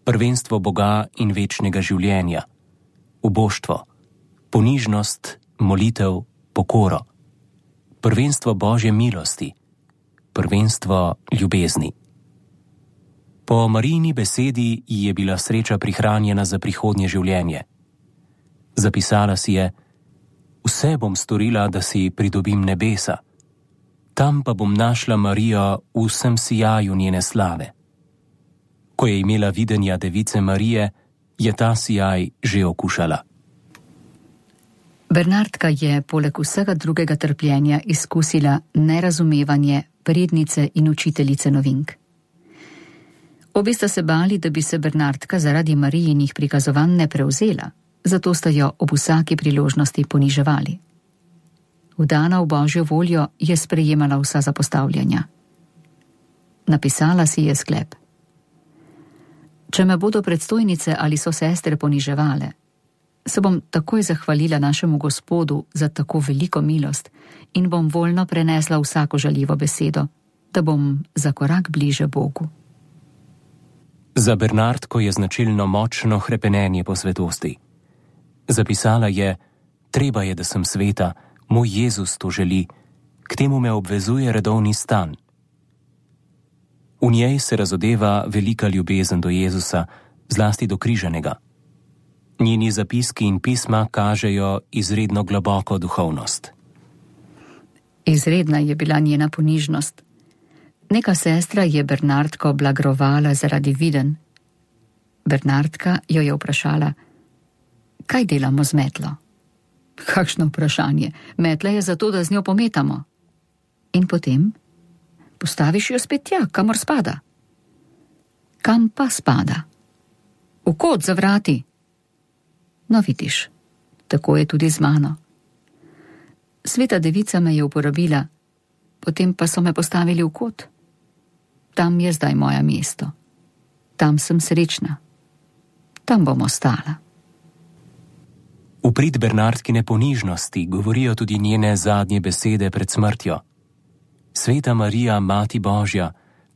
Prvenstvo Boga in večnega življenja, uboštvo, ponižnost, molitev, pokoro, prvenstvo Božje milosti, prvenstvo ljubezni. Po Marijini besedi ji je bila sreča prihranjena za prihodnje življenje. Zapisala si je: vse bom storila, da si pridobim nebesa, tam pa bom našla Marijo v vsem sijaju njene slave. Ko je imela videnja device Marije, je ta sijaj že okušala. Bernardka je poleg vsega drugega trpljenja izkusila nerazumevanje prednice in učiteljice novink. Obe sta se bali, da bi se Bernardka zaradi Marijinih prikazovanj ne prevzela, zato sta jo ob vsaki priložnosti poniževali. Vdana v Božjo voljo je sprejemala vsa zapostavljanja. Napisala si je sklep: če me bodo predstojnice ali so sestre poniževale, se bom takoj zahvalila našemu Gospodu za tako veliko milost in bom voljno prenesla vsako žaljivo besedo, da bom za korak bliže Bogu. Za Bernardko je značilno močno hrepenenje po svetosti. Zapisala je: treba je, da sem sveta, moj Jezus to želi, k temu me obvezuje redovni stan. V njej se razodeva velika ljubezen do Jezusa, zlasti do križanega. Njeni zapiski in pisma kažejo izredno globoko duhovnost. Izredna je bila njena ponižnost. Neka sestra je Bernardko blagrovala zaradi viden. Bernardka jo je vprašala: kaj delamo z metlo? Kakšno vprašanje? Metla je zato, da z njo pometamo. In potem? Postaviš jo spet tja, kamor spada. Kam pa spada? V kot za vrati. No, vidiš, tako je tudi z mano. Sveta devica me je uporabila, potem pa so me postavili v kot. Tam je zdaj moje mesto. Tam sem srečna. Tam bom ostala. V prid Bernardkine ponižnosti govorijo tudi njene zadnje besede pred smrtjo. Sveta Marija, Mati Božja,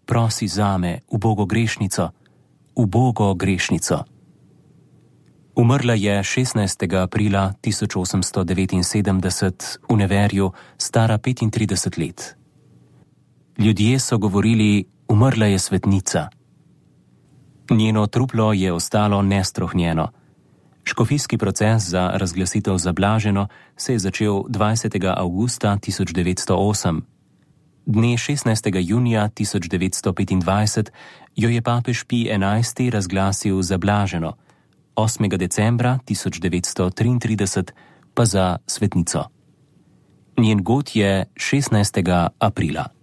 prosi zame, ubogo grešnico, ubogo grešnico. Umrla je 16. aprila 1879 v Neverju, stara 35 let. Ljudje so govorili: umrla je svetnica. Njeno truplo je ostalo nestrohnjeno. Škofijski proces za razglasitev za blaženo se je začel 20. avgusta 1908. Dne 16. junija 1925 jo je papež Pij XI razglasil za blaženo, 8. decembra 1933 pa za svetnico. Njen god je 16. aprila.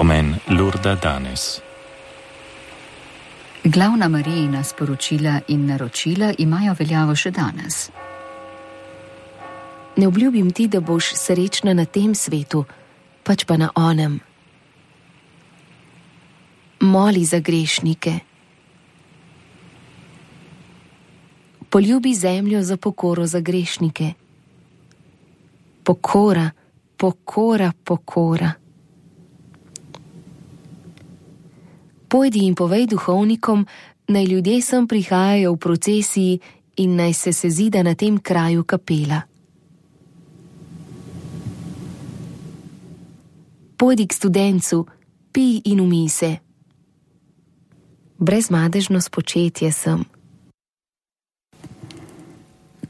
Pomen Lurda danes. Glavna Marijina sporočila in naročila imajo veljavo še danes. Ne obljubim ti, da boš srečna na tem svetu, pač pa na onem. Moli za grešnike. Poljubi zemljo za pokoro za grešnike. Pokora, pokora, pokora. Pojdi in povej duhovnikom, naj ljudje sem prihajajo v procesiji in naj se sezida na tem kraju kapela. Pojdi k studencu, pij in umij se. Brezmadežno spočetje sem.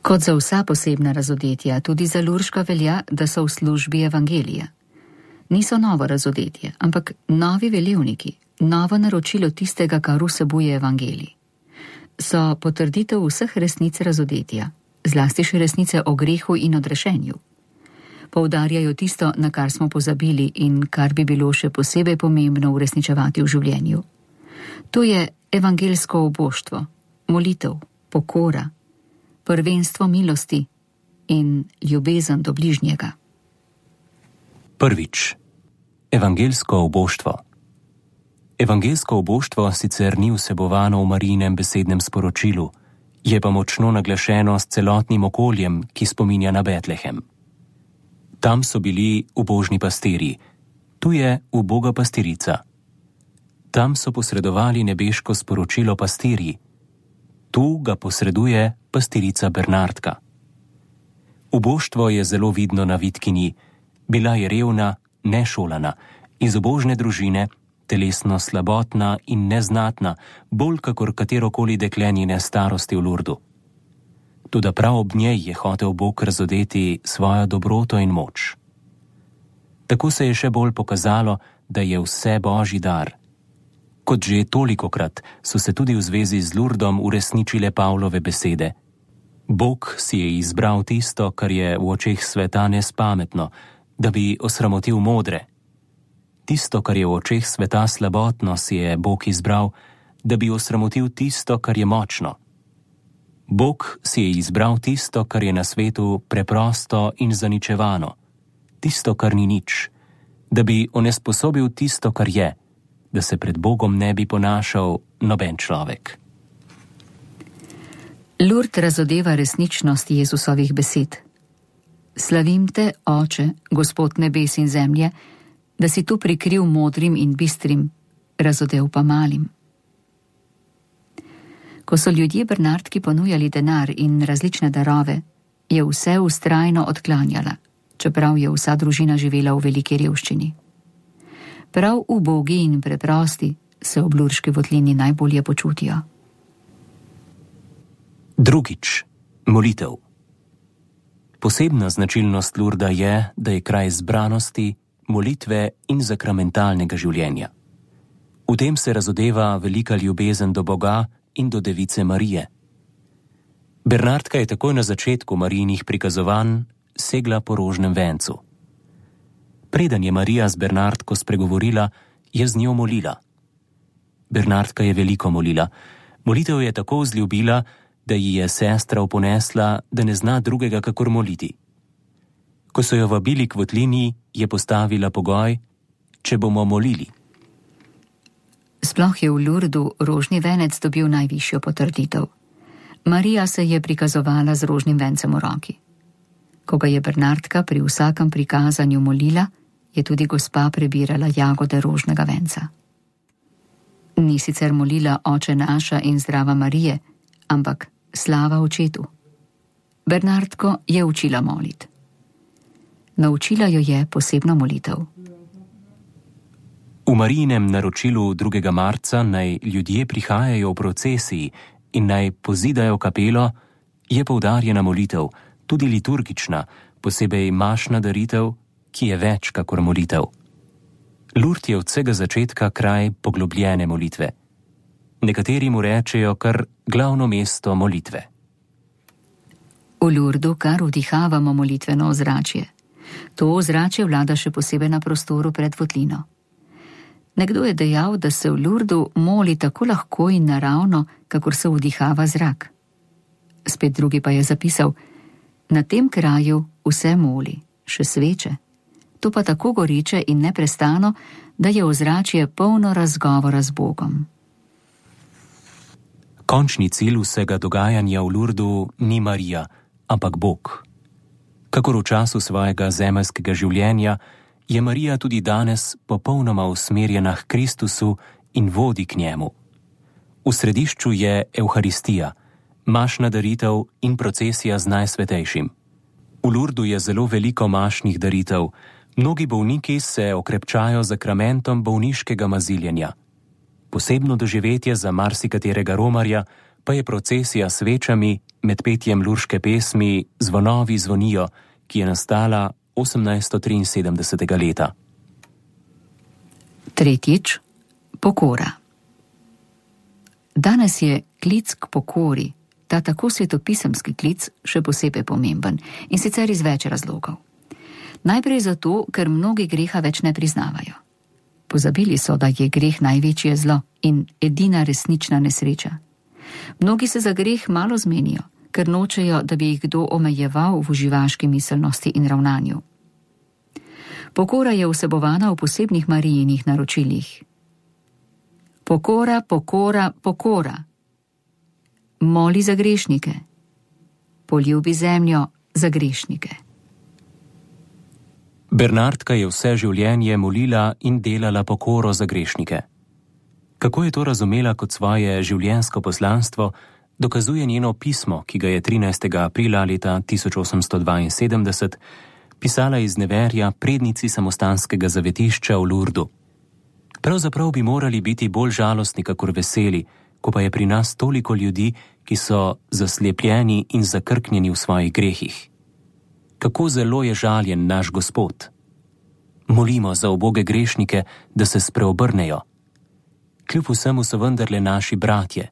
Kot za vsa posebna razodetja, tudi za Lurška velja, da so v službi evangelija. Niso novo razodetje, ampak novi velevniki, novo naročilo tistega, kar vsebuje evangelij. So potrditev vseh resnic razodetja, zlasti še resnice o grehu in odrešenju. Poudarjajo tisto, na kar smo pozabili in kar bi bilo še posebej pomembno uresničevati v življenju. To je evangelsko oboštvo, molitev, pokora, prvenstvo milosti in ljubezen do bližnjega. Prvič. Evangelsko oboštvo. Evangelsko oboštvo sicer ni vsebovano v Marijinem besednem sporočilu, je pa močno naglašeno s celotnim okoljem, ki spominja na Betlehem. Tam so bili ubožni pastirji, tu je uboga pastirica. Tam so posredovali nebeško sporočilo pastirji, tu ga posreduje pastirica Bernardka. Uboštvo je zelo vidno na Vitkinji, bila je revna, nešolana, iz ubožne družine, telesno slabotna in neznatna, bolj kakor katerokoli dekle njene starosti v Lurdu. Toda prav ob njej je hotel Bog razodeti svojo dobroto in moč. Tako se je še bolj pokazalo, da je vse Božji dar. Kot že tolikokrat so se tudi v zvezi z Lurdom uresničile Pavlove besede. Bog si je izbral tisto, kar je v očeh sveta nespametno, da bi osramotil modre. Tisto, kar je v očeh sveta slabotno, si je Bog izbral, da bi osramotil tisto, kar je močno. Bog si je izbral tisto, kar je na svetu preprosto in zaničevano, tisto, kar ni nič, da bi onesposobil tisto, kar je, da se pred Bogom ne bi ponašal noben človek. Lurd razodeva resničnost Jezusovih besed. Slavim te, Oče, Gospod nebes in zemlje, da si tu prikril modrim in bistrim, razodev pa malim. Ko so ljudje Bernardki ponujali denar in različne darove, je vse vztrajno odklanjala, čeprav je vsa družina živela v veliki revščini. Prav ubogi in preprosti se ob Lurški votlini najbolje počutijo. Drugič. Molitev. Posebna značilnost Lurda je, da je kraj zbranosti, molitve in sakramentalnega življenja. V tem se razodeva velika ljubezen do Boga in do Device Marije. Bernardka je takoj na začetku Marijinih prikazovanj segla po rožnem vencu. Preden je Marija z Bernardko spregovorila, je z njo molila. Bernardka je veliko molila. Molitev je tako vzljubila, da ji je sestra oponesla, da ne zna drugega kakor moliti. Ko so jo vabili k votlini, je postavila pogoj, če bomo molili. Sploh je v Lurdu rožni venec dobil najvišjo potrditev. Marija se je prikazovala z rožnim vencem v roki. Ko ga je Bernardka pri vsakem prikazanju molila, je tudi gospa prebirala jagode rožnega venca. Ni sicer molila Oče naša in Zdrava Marije, ampak slava očetu. Bernardko je učila moliti. Naučila jo je posebno molitev. V Marijinem naročilu 2. marca naj ljudje prihajajo v procesiji in naj pozidajo kapelo, je poudarjena molitev, tudi liturgična, posebej mašna daritev, ki je več kakor molitev. Lurd je od vsega začetka kraj poglobljene molitve. Nekateri mu rečejo kar glavno mesto molitve. V Lurdu kar vdihavamo molitveno ozračje. To ozračje vlada še posebej na prostoru pred votlino. Nekdo je dejal, da se v Lurdu moli tako lahko in naravno, kakor se vdihava zrak. Spet drugi pa je zapisal: na tem kraju vse moli, še sveče. To pa tako goriče in neprestano, da je ozračje polno razgovora z Bogom. Končni cilj vsega dogajanja v Lurdu ni Marija, ampak Bog. Kakor v času svojega zemeljskega življenja, je Marija tudi danes popolnoma usmerjena k Kristusu in vodi k njemu. V središču je Evharistija, mašna daritev in procesija z Najsvetejšim. V Lurdu je zelo veliko mašnih daritev. Mnogi bolniki se okrepčajo z zakramentom bolniškega maziljenja. Posebno doživetje za marsikaterega romarja pa je procesija s svečami med petjem lurške pesmi Zvonovi zvonijo, ki je nastala 1873. leta. Tretjič, pokora. Danes je klic k pokori, ta tako svetopisemski klic, še posebej pomemben, in sicer iz več razlogov. Najprej zato, ker mnogi greha več ne priznavajo. Pozabili so, da je greh največje zlo in edina resnična nesreča. Mnogi se za greh malo zmenijo, ker nočejo, da bi jih kdo omejeval v uživaški miselnosti in ravnanju. Pokora je vsebovana v posebnih Marijinih naročilih. Pokora, pokora, pokora. Moli za grešnike. Poljubi zemljo za grešnike. Bernardka je vse življenje molila in delala pokoro za grešnike. Kako je to razumela kot svoje življenjsko poslanstvo, dokazuje njeno pismo, ki ga je 13. aprila leta 1872 pisala iz Neverja prednici samostanskega zavetišča v Lurdu. Pravzaprav bi morali biti bolj žalostni kakor veseli, ko pa je pri nas toliko ljudi, ki so zaslepljeni in zakrknjeni v svojih grehih. Kako zelo je žaljen naš Gospod. Molimo za uboge grešnike, da se spreobrnejo. Kljub vsemu so vendarle naši bratje.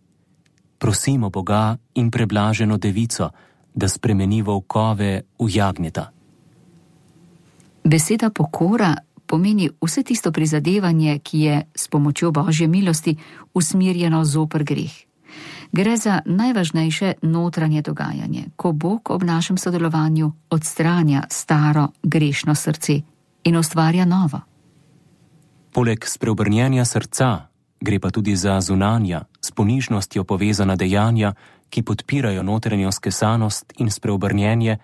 Prosimo Boga in preblaženo devico, da spremeni volkove v jagnjeta. Beseda pokora pomeni vse tisto prizadevanje, ki je s pomočjo Božje milosti usmerjeno zoper greh. Gre za najvažnejše notranje dogajanje, ko Bog ob našem sodelovanju odstranja staro grešno srce in ustvarja novo. Poleg spreobrnjenja srca gre pa tudi za zunanja, s ponižnostjo povezana dejanja, ki podpirajo notranjo skesanost in spreobrnjenje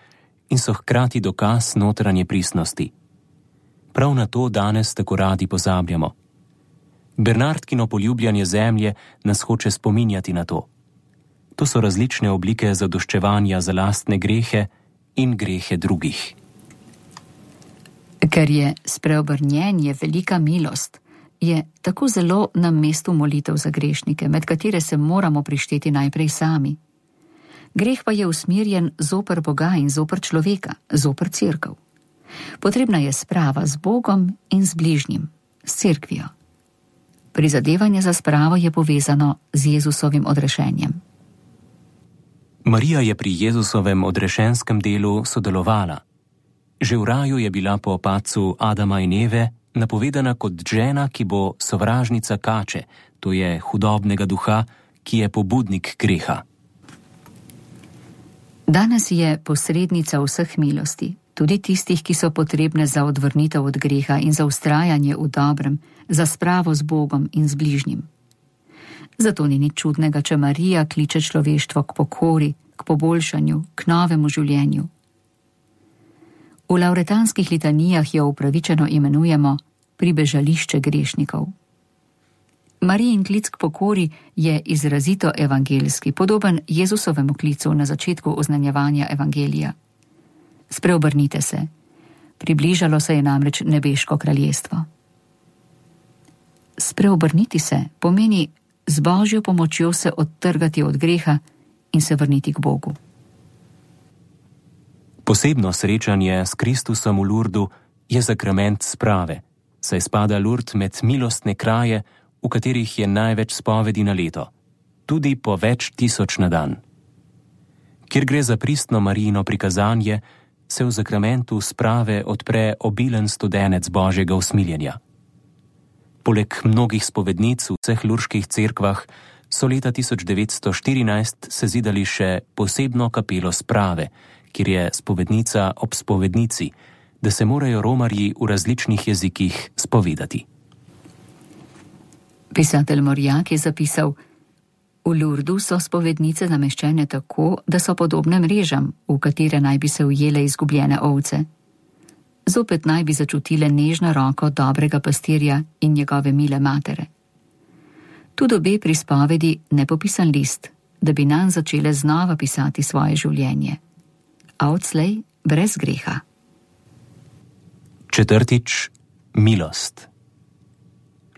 in so hkrati dokaz notranje pristnosti. Prav na to danes tako radi pozabljamo. Bernardkino poljubljanje zemlje nas hoče spominjati na to. To so različne oblike zadoščevanja za lastne grehe in grehe drugih. Ker je spreobrnjenje velika milost, je tako zelo na mestu molitev za grešnike, med katere se moramo prišteti najprej sami. Greh pa je usmerjen zoper Boga in zoper človeka, zoper cerkev. Potrebna je sprava z Bogom in z bližnjim, s cerkvijo. Prizadevanje za spravo je povezano z Jezusovim odrešenjem. Marija je pri Jezusovem odrešenskem delu sodelovala. Že v raju je bila po padcu Adama in Eve napovedana kot žena, ki bo sovražnica kače, to je hudobnega duha, ki je pobudnik greha. Danes je posrednica vseh milosti, tudi tistih, ki so potrebne za odvrnitev od greha in za vztrajanje v dobrem, za spravo z Bogom in z bližnjim. Zato ni nič čudnega, če Marija kliče človeštvo k pokori, k poboljšanju, k novemu življenju. V lavretanskih litanijah jo upravičeno imenujemo pribežališče grešnikov. Marijin klic k pokori je izrazito evangeljski, podoben Jezusovemu klicu na začetku oznanjevanja evangelija. Spreobrnite se, približalo se je namreč nebeško kraljestvo. Spreobrniti se pomeni z Božjo pomočjo se odtrgati od greha in se vrniti k Bogu. Posebno srečanje s Kristusom v Lurdu je sakrament sprave, saj spada Lurd med milostne kraje, v katerih je največ spovedi na leto, tudi po več tisoč na dan. Kjer gre za pristno Marijino prikazanje, se v sakramentu sprave odpre obilen studenec Božjega usmiljenja. Poleg mnogih spovednic v vseh lurških cerkvah so leta 1914 sezidali še posebno kapelo sprave, kjer je spovednica ob spovednici, da se morajo romarji v različnih jezikih spovedati. Pisatelj Morjak je zapisal: v Lurdu so spovednice nameščene tako, da so podobne mrežam, v katere naj bi se ujele izgubljene ovce. Zopet naj bi začutile nežno roko dobrega pastirja in njegove mile matere. Tu dobe pri spovedi nepopisan list, da bi nanj začele znova pisati svoje življenje. A odslej brez greha. Četrtič, milost.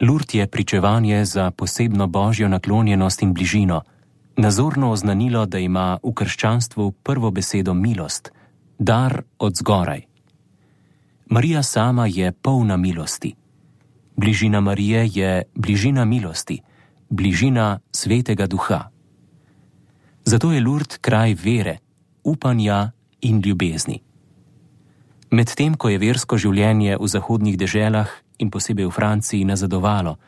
Lurd je pričevanje za posebno božjo naklonjenost in bližino, nazorno oznanilo, da ima v krščanstvu prvo besedo milost, dar od zgoraj. Marija sama je polna milosti. Bližina Marije je bližina milosti, bližina Svetega Duha. Zato je Lurd kraj vere, upanja in ljubezni. Medtem ko je versko življenje v zahodnih deželah in posebej v Franciji nazadovalo,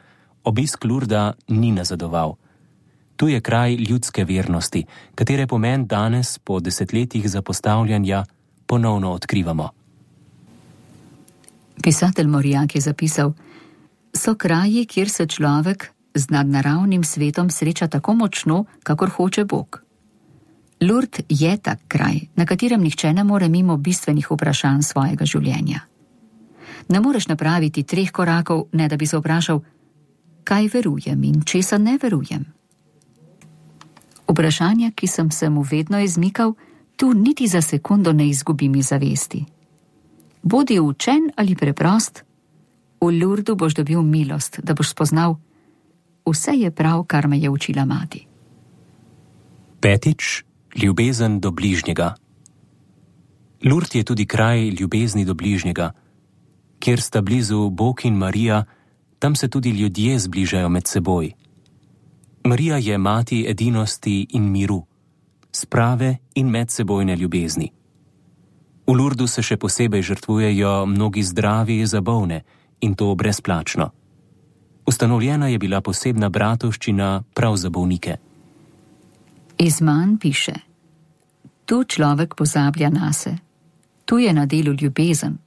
obisk Lurda ni nazadoval. Tu je kraj ljudske vernosti, katere pomen danes po desetletjih zapostavljanja ponovno odkrivamo. Pisatelj Morjak je zapisal: so kraji, kjer se človek z nadnaravnim svetom sreča tako močno, kakor hoče Bog. Lurd je tak kraj, na katerem nihče ne more mimo bistvenih vprašanj svojega življenja. Ne moreš napraviti 3 korakov, ne da bi se vprašal, kaj verujem in česa ne verujem. Vprašanja, ki sem se mu vedno izmikal, tu niti za sekundo ne izgubim iz zavesti. Bodi učen ali preprost, v Lurdu boš dobil milost, da boš spoznal, vse je prav, kar me je učila mati. Petič, ljubezen do bližnjega. Lurd je tudi kraj ljubezni do bližnjega. Kjer sta blizu Bog in Marija, tam se tudi ljudje zbližajo med seboj. Marija je mati edinosti in miru, sprave in medsebojne ljubezni. V Lurdu se še posebej žrtvujejo mnogi zdravi za bolne, in to brezplačno. Ustanovljena je bila posebna bratovščina prav za bolnike. Izman piše: tu človek pozablja nase, tu je na delu ljubezen.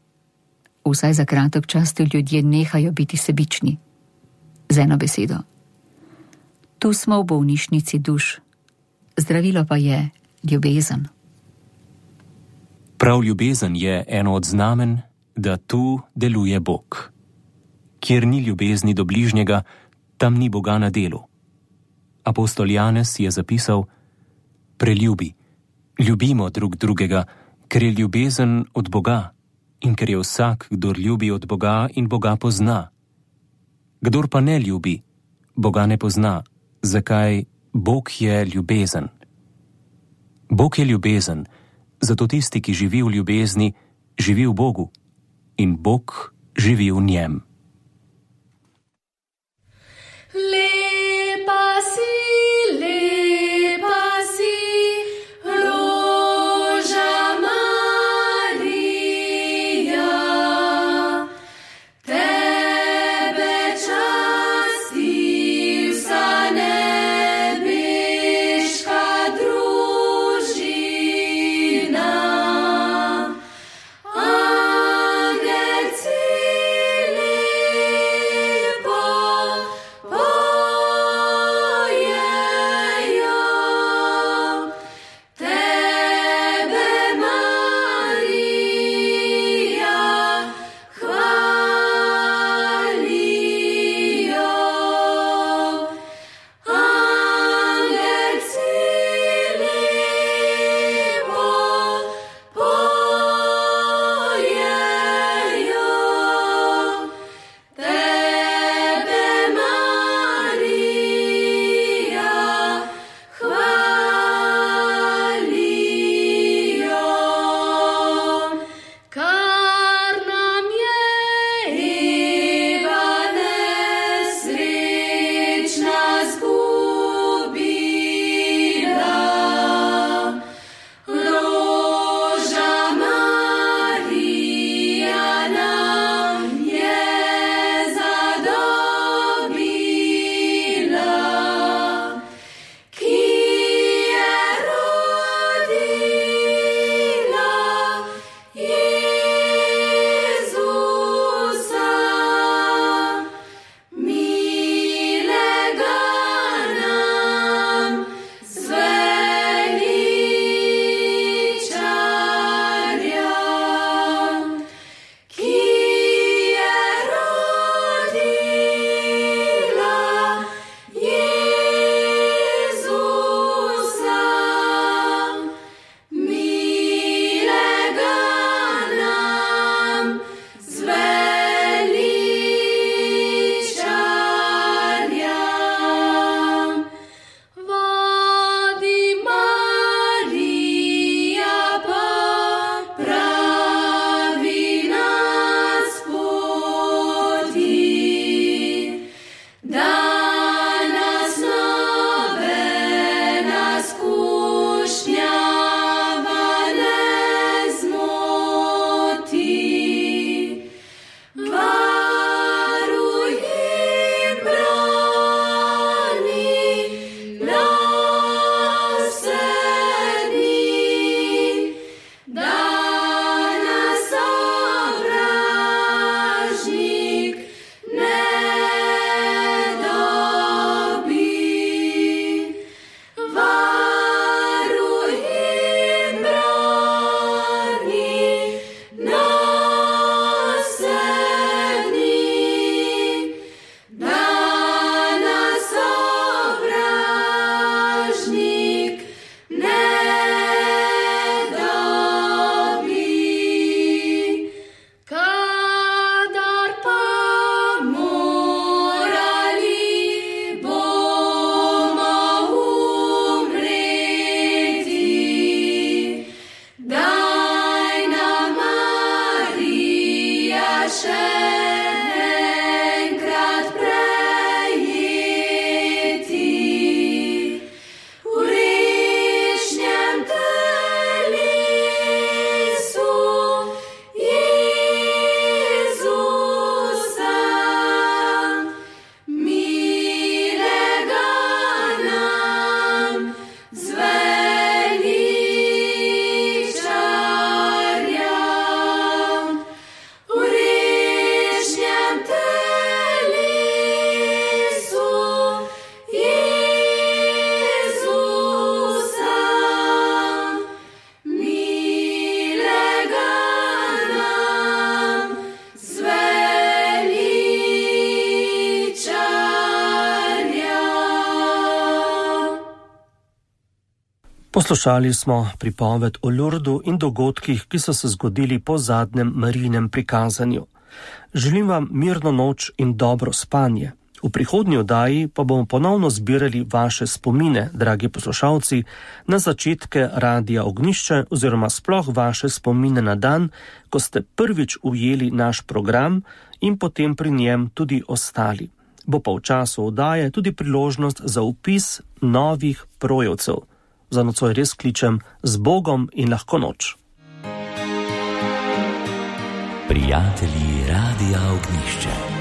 Vsaj za kratek čas ti ljudje nehajo biti sebični. Z eno besedo: tu smo v bolnišnici duš, zdravilo pa je ljubezen. Prav ljubezen je eno od znamen, da tu deluje Bog. Kjer ni ljubezni do bližnjega, tam ni Boga na delu. Apostol Janez je zapisal: preljubi, ljubimo drug drugega, ker je ljubezen od Boga in ker je vsak, kdor ljubi od Boga in Boga pozna. Kdor pa ne ljubi, Boga ne pozna, zakaj Bog je ljubezen. Bog je ljubezen, zato tisti, ki živi v ljubezni, živi v Bogu in Bog živi v njem. Lepa si, Poslušali smo pripoved o Lurdu in dogodkih, ki so se zgodili po zadnjem Marijinem prikazanju. Želim vam mirno noč in dobro spanje. V prihodnji oddaji pa bomo ponovno zbirali vaše spomine, dragi poslušalci, na začetke Radia Ognjišče oziroma sploh vaše spomine na dan, ko ste prvič ujeli naš program in potem pri njem tudi ostali. Bo pa v času oddaje tudi priložnost za vpis novih projevcev. Za nocoj res kličem z Bogom in lahko noč. Prijatelji Radia Ognjišče.